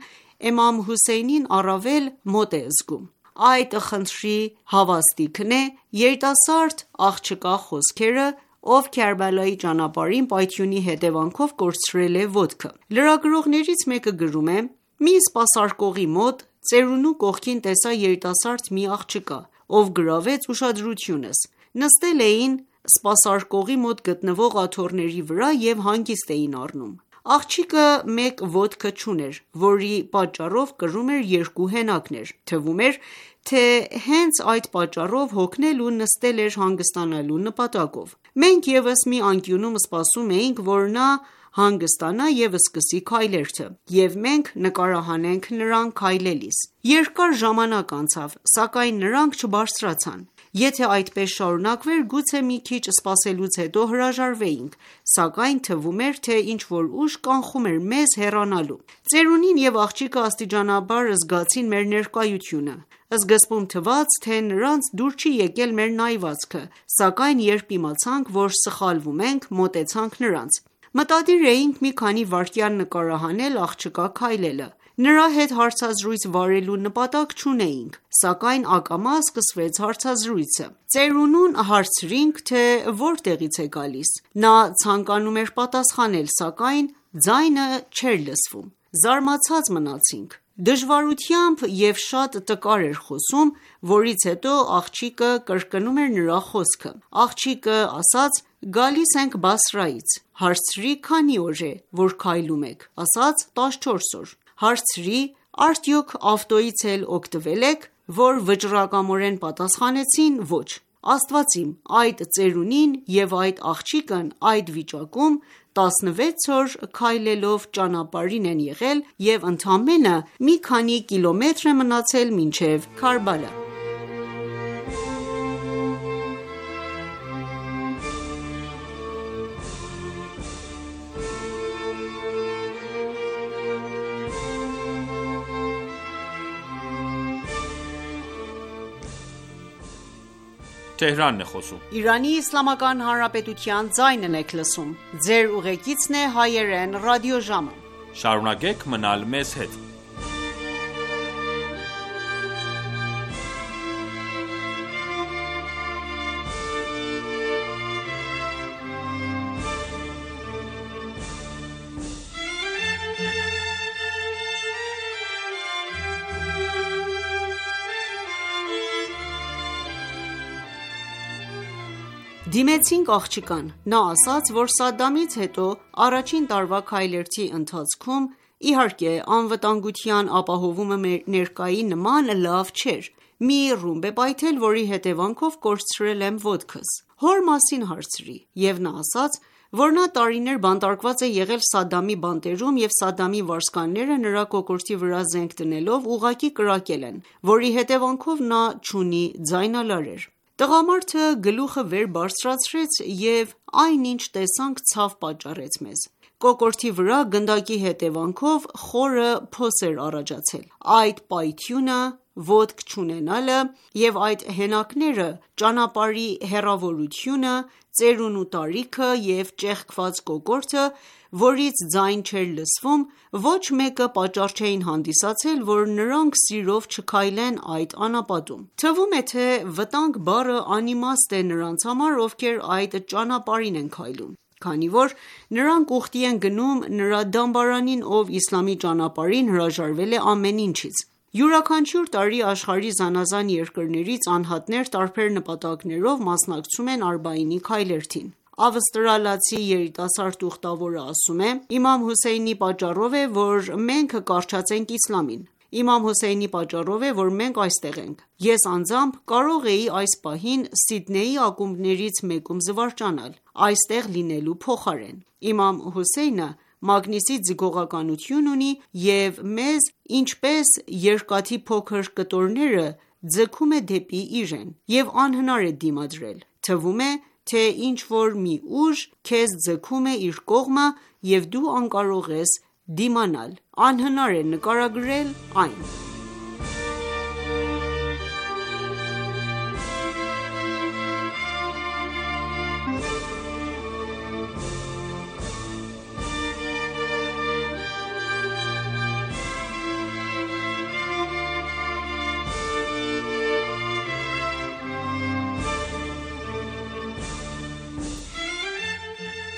իմամ Հոսեյնին առավել մոտ է զգում: Այդ խնդրի հավաստիքն է երիտասարդ աղջկա խոսքերը, ով Քարբալայի ճանապարհին պայթյունի հետևանքով կորցրել է ոտքը: Լրագրողներից մեկը գրում է. «Մի սպասարկողի մոտ ծերունու կողքին տեսա երիտասարդ մի աղջկա, ով գրավեց ուշադրությունս: Նստել էին սպասարկողի մոտ գտնվող աթոռների վրա և հանգիստ էին առնում: Աղջիկը մեկ ոտքը չուներ, որի պատճառով կրում էր երկու հենակներ: Թվում էր, թե հենց այդ պատճառով հոգնել ու նստել էր հանգստանալու նպատակով: Մենք ևս մի անկյունում սպասում էինք, որ նա հանգստանա և սկսի քայլերթը, և մենք նկարահանենք նրան քայլելիս: Երկար ժամանակ անցավ, սակայն նրանք չբարձրացան: Եթե այդպես շարունակվեր, գուցե մի քիչ սպասելուց հետո հրաժարվեինք, սակայն թվում էր, թե ինչ-որ ուժ կանխում էր մեզ հեռանալու: Ծերունին և աղջիկը աստիճանաբար զգացին մեր ներկայությունը: Սկզբում թվաց, թե նրանց դուր չի եկել մեր նայվածքը, սակայն երբ իմացանք, որ սխալվում ենք, մոտեցանք նրանց: Մտադիր էինք մի քանի վայրկյան նկարահանել աղջկա քայլելը: Նրա հետ հարցազրույց վարելու նպատակ չունեինք, սակայն ակամա սկսվեց հարցազրույցը: Ծերունուն հարցրինք, թե որտեղից է գալիս: Նա ցանկանում էր պատասխանել, սակայն ձայնը չէր լսվում: Զարմացած մնացինք: Դժվարությամբ և շատ տկար էր խոսում, որից հետո աղջիկը կրկնում էր նրա խոսքը: Աղջիկը ասաց. «Գալիս ենք Բասրայից»: Հարցրի. «Քանի օր է, որ քայլում եք»: Ասաց. «տասնչորս օր»: Հարցրի. «Արդյոք ավտոյից էլ օգտվել եք»: Որ վճռակամորեն պատասխանեցին. «Ոչ»: Աստված իմ, այդ ծերունին և այդ աղջիկն այդ վիճակում տասնվեց օր քայլելով ճանապարհին են եղել և ընդամենը մի քանի կիլոմետր է մնացել մինչև Քարբալա: Դիմեցինք աղջկան: Նա ասաց, որ Սադամից հետո առաջին տարվա քայլերթի ընթացքում, իհարկե անվտանգության ապահովումը ներկայի նման լավ չէր: Մի ռումբ է պայթել, որի հետևանքով կորցրել եմ ոտքս: Հոր մասին հարցրի, և նա ասաց, որ նա տարիներ բանտարկված է եղել Սադամի բանտերում և Սադամի վարձկանները նրա կոկորդի վրա զենք դնելով ուղղակի կրակել են, որի հետևանքով նա չունի ձայնալարեր: Տղամարդը գլուխը վեր բարձրացրեց և այն ինչ տեսանք ցավ պատճառեց մեզ: Կոկորդի վրա գնդակի հետևանքով խորը փոս էր առաջացել: Այդ պայթյունը, ոտք չունենալը և այդ հենակները, ճանապարհի հեռավորությունը, ծերունու տարիքը և ճեղքված կոկորդը, որից ձայն չէր լսվում, ոչ մեկը պատճառ չէին հանդիսացել, որ նրանք սիրով չքայլեն այդ անապատում: Թվում է, թե վտանգ բառը անիմաստ է նրանց համար, ովքեր այդ ճանապարհին են քայլում: Քանի որ նրանք ուխտի են գնում նրա դամբարանին, ով իսլամի ճանապարհին հրաժարվել է ամեն ինչից: Յուրաքանչյուր տարի աշխարհի զանազան երկրներից անհատներ տարբեր նպատակներով մասնակցում են Արբաինի քայլերթին: Ավստրալիացի երիտասարդ ուխտավորը ասում է. «Իմամ Հոսեյնի պատճառով է, որ մենք կառչացենք իսլամին: Իմամ Հոսեյնի պատճառով է, որ մենք այստեղ ենք: Ես անձամբ կարող էի այս պահին Սիդնեյի ակումբներից մեկում զվարճանալ, այստեղ լինելու փոխարեն: Իմամ Հոսեյնը մագնիսի ձգողականություն ունի և մեզ ինչպես երկաթի փոքր կտորները ձգում է դեպի իրեն և անհնար է դիմադրել: Թվում է, թե ինչ-որ մի ուժ քեզ ձգում է իր կողմը և դու անկարող ես դիմանալ: Անհնար է նկարագրել այն»: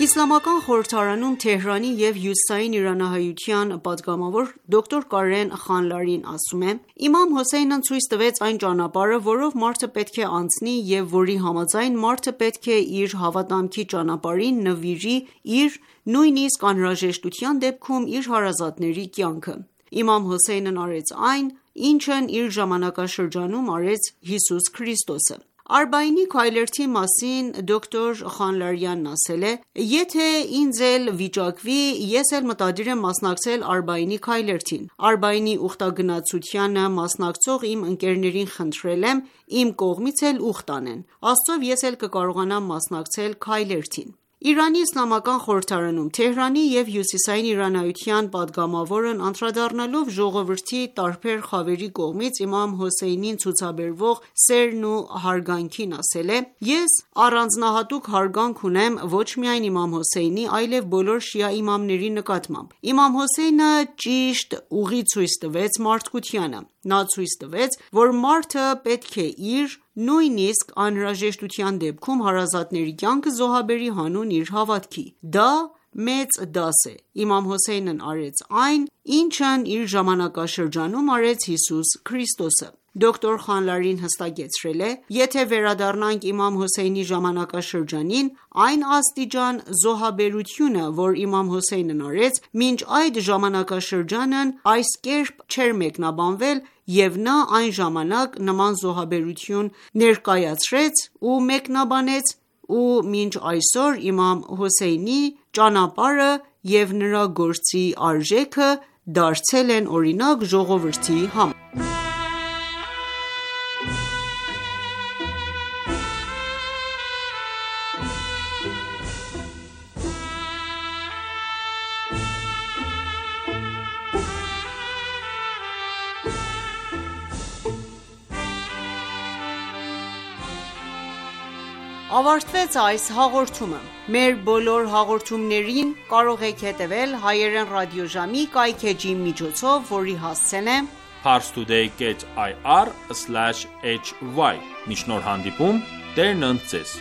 Իսլամական խորհրդարանում Թեհրանի և հյուսիսային իրանահայության պատգամավոր դոկտոր Կարեն Խանլարին ասում է. «Իմամ Հոսեյնն ցույց տվեց այն ճանապարհը, որով մարդը պետք է անցնի և որի համաձայն մարդը պետք է իր հավատամքի ճանապարհին նվիրի իր, նույնիսկ անհրաժեշտության դեպքում իր հարազատների կյանքը: Իմամ Հոսեյնն արեց այն, ինչն իր ժամանակաշրջանում արեց Հիսուս Քրիստոսը: Արբաինի քայլերթի մասին դոկտոր Խանլարյանն ասել է. «Եթե ինձ էլ վիճակվի, ես էլ մտադիր եմ մասնակցել Արբաինի քայլերթին։ Արբաինի ուխտագնացությանը մասնակցող իմ ընկերներին խնդրել եմ իմ կողմից էլ ուխտ անեն։ Աստծով ես էլ կկարողանամ մասնակցել քայլերթին»։ Իրանի Իսլամական խորհրդարանում Թեհրանի և հյուսիսային իրանայության պատգամավորն անդրադառնալով ժողովրդի տարբեր խավերի կողմից իմամ Հոսեյնին ցուցաբերվող սերն ու հարգանքին ասել է. «Ես առանձնահատուկ հարգանք ունեմ ոչ միայն իմամ Հոսեյնի, այլև բոլոր շիա իմամների նկատմամբ։ Իմամ Հոսեյնը ճիշտ ուղի ցույց տվեց մարդկությանը։ Նա ցույց տվեց, որ մարդը պետք է իր, նույնիսկ անհրաժեշտության դեպքում հարազատների կյանքը զոհաբերի հանուն իր հավատքի։ Դա մեծ դաս է։ Իմամ Հոսեյնն արեց այն, ինչն իր ժամանակաշրջանում արեց Հիսուս Քրիստոսը»։ Դոկտոր Խանլարին հստակեցրել է. «Եթե վերադառնանք իմամ Հոսեյնի ժամանակաշրջանին, այն աստիճան զոհաբերությունը, որ իմամ Հոսեյնն արեց, մինչ այդ ժամանակաշրջանն այս կերպ չէր մեկնաբանվել, և նա այն ժամանակ նման զոհաբերություն ներկայացրեց ու մեկնաբանեց, ու մինչ այսօր իմամ Հոսեյնի ճանապարհը և նրա գործի արժեքը դարձել են օրինակ ժողովրդի համար»։ Ավարտվեց այս հաղորդումը։ Մեր բոլոր հաղորդումներին կարող եք հետևել հայերեն ռադիոժամի կայքէջի միջոցով, որի հասցեն է parstoday dot i r slash h y։ Մինչ նոր հանդիպում, Տերն ընդ ձեզ։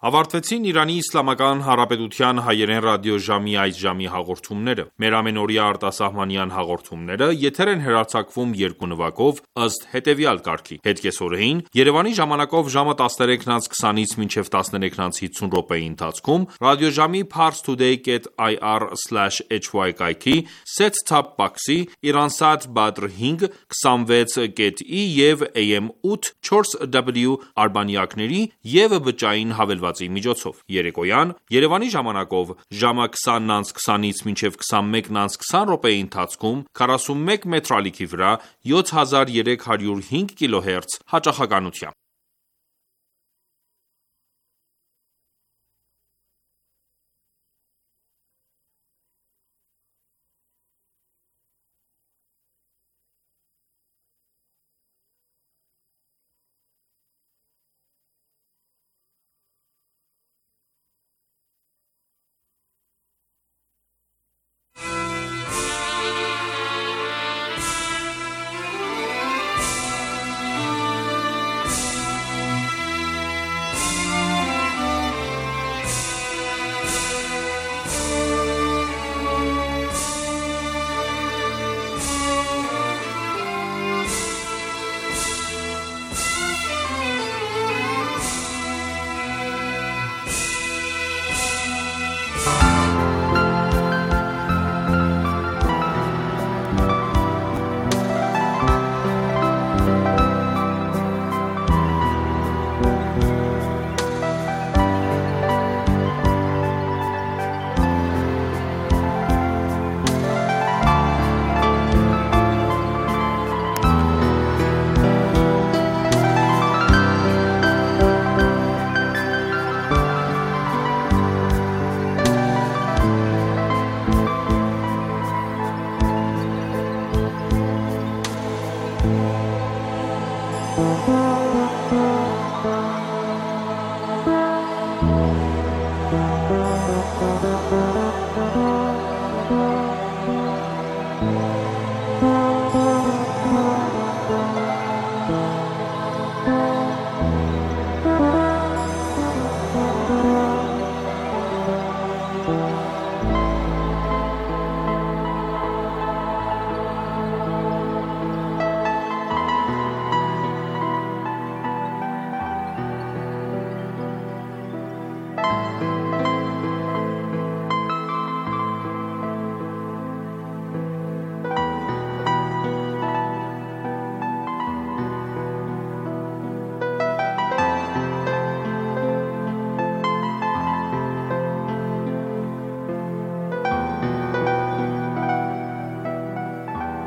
Ավարտվեցին Իրանի Իսլամական Հանրապետության հայերեն ռադիոժամի այս ժամի հաղորդումները։ Մեր ամենօրյա արտասահմանյան հաղորդումները եթեր են հեռարձակվում երկու նվագով ըստ հետևյալ կարգի. Հետկեսօրեին Երևանի ժամանակով ժամը տասներեքն անց քսանից մինչև տասներեքն անց հիսուն րոպեի ընթացքում ռադիոժամի parstoday dot i r slash h y կայքի set-top box-ի Iransat Badr հինգ, քսանվեց կետ ի և A M ութ չորս W արբանյակների և բջջային հավելվածի միջոցով։ Երեկոյան Երևանի ժամանակով ժամը քսանն անց քսանից մինչև քսանմեկն անց քսան րոպեի ընթացքում քառասունմեկ մետր ալիքի վրա յոթ հազար երեք հարյուր հինգ կիլոհերց հաճախականությամբ։ Thank you.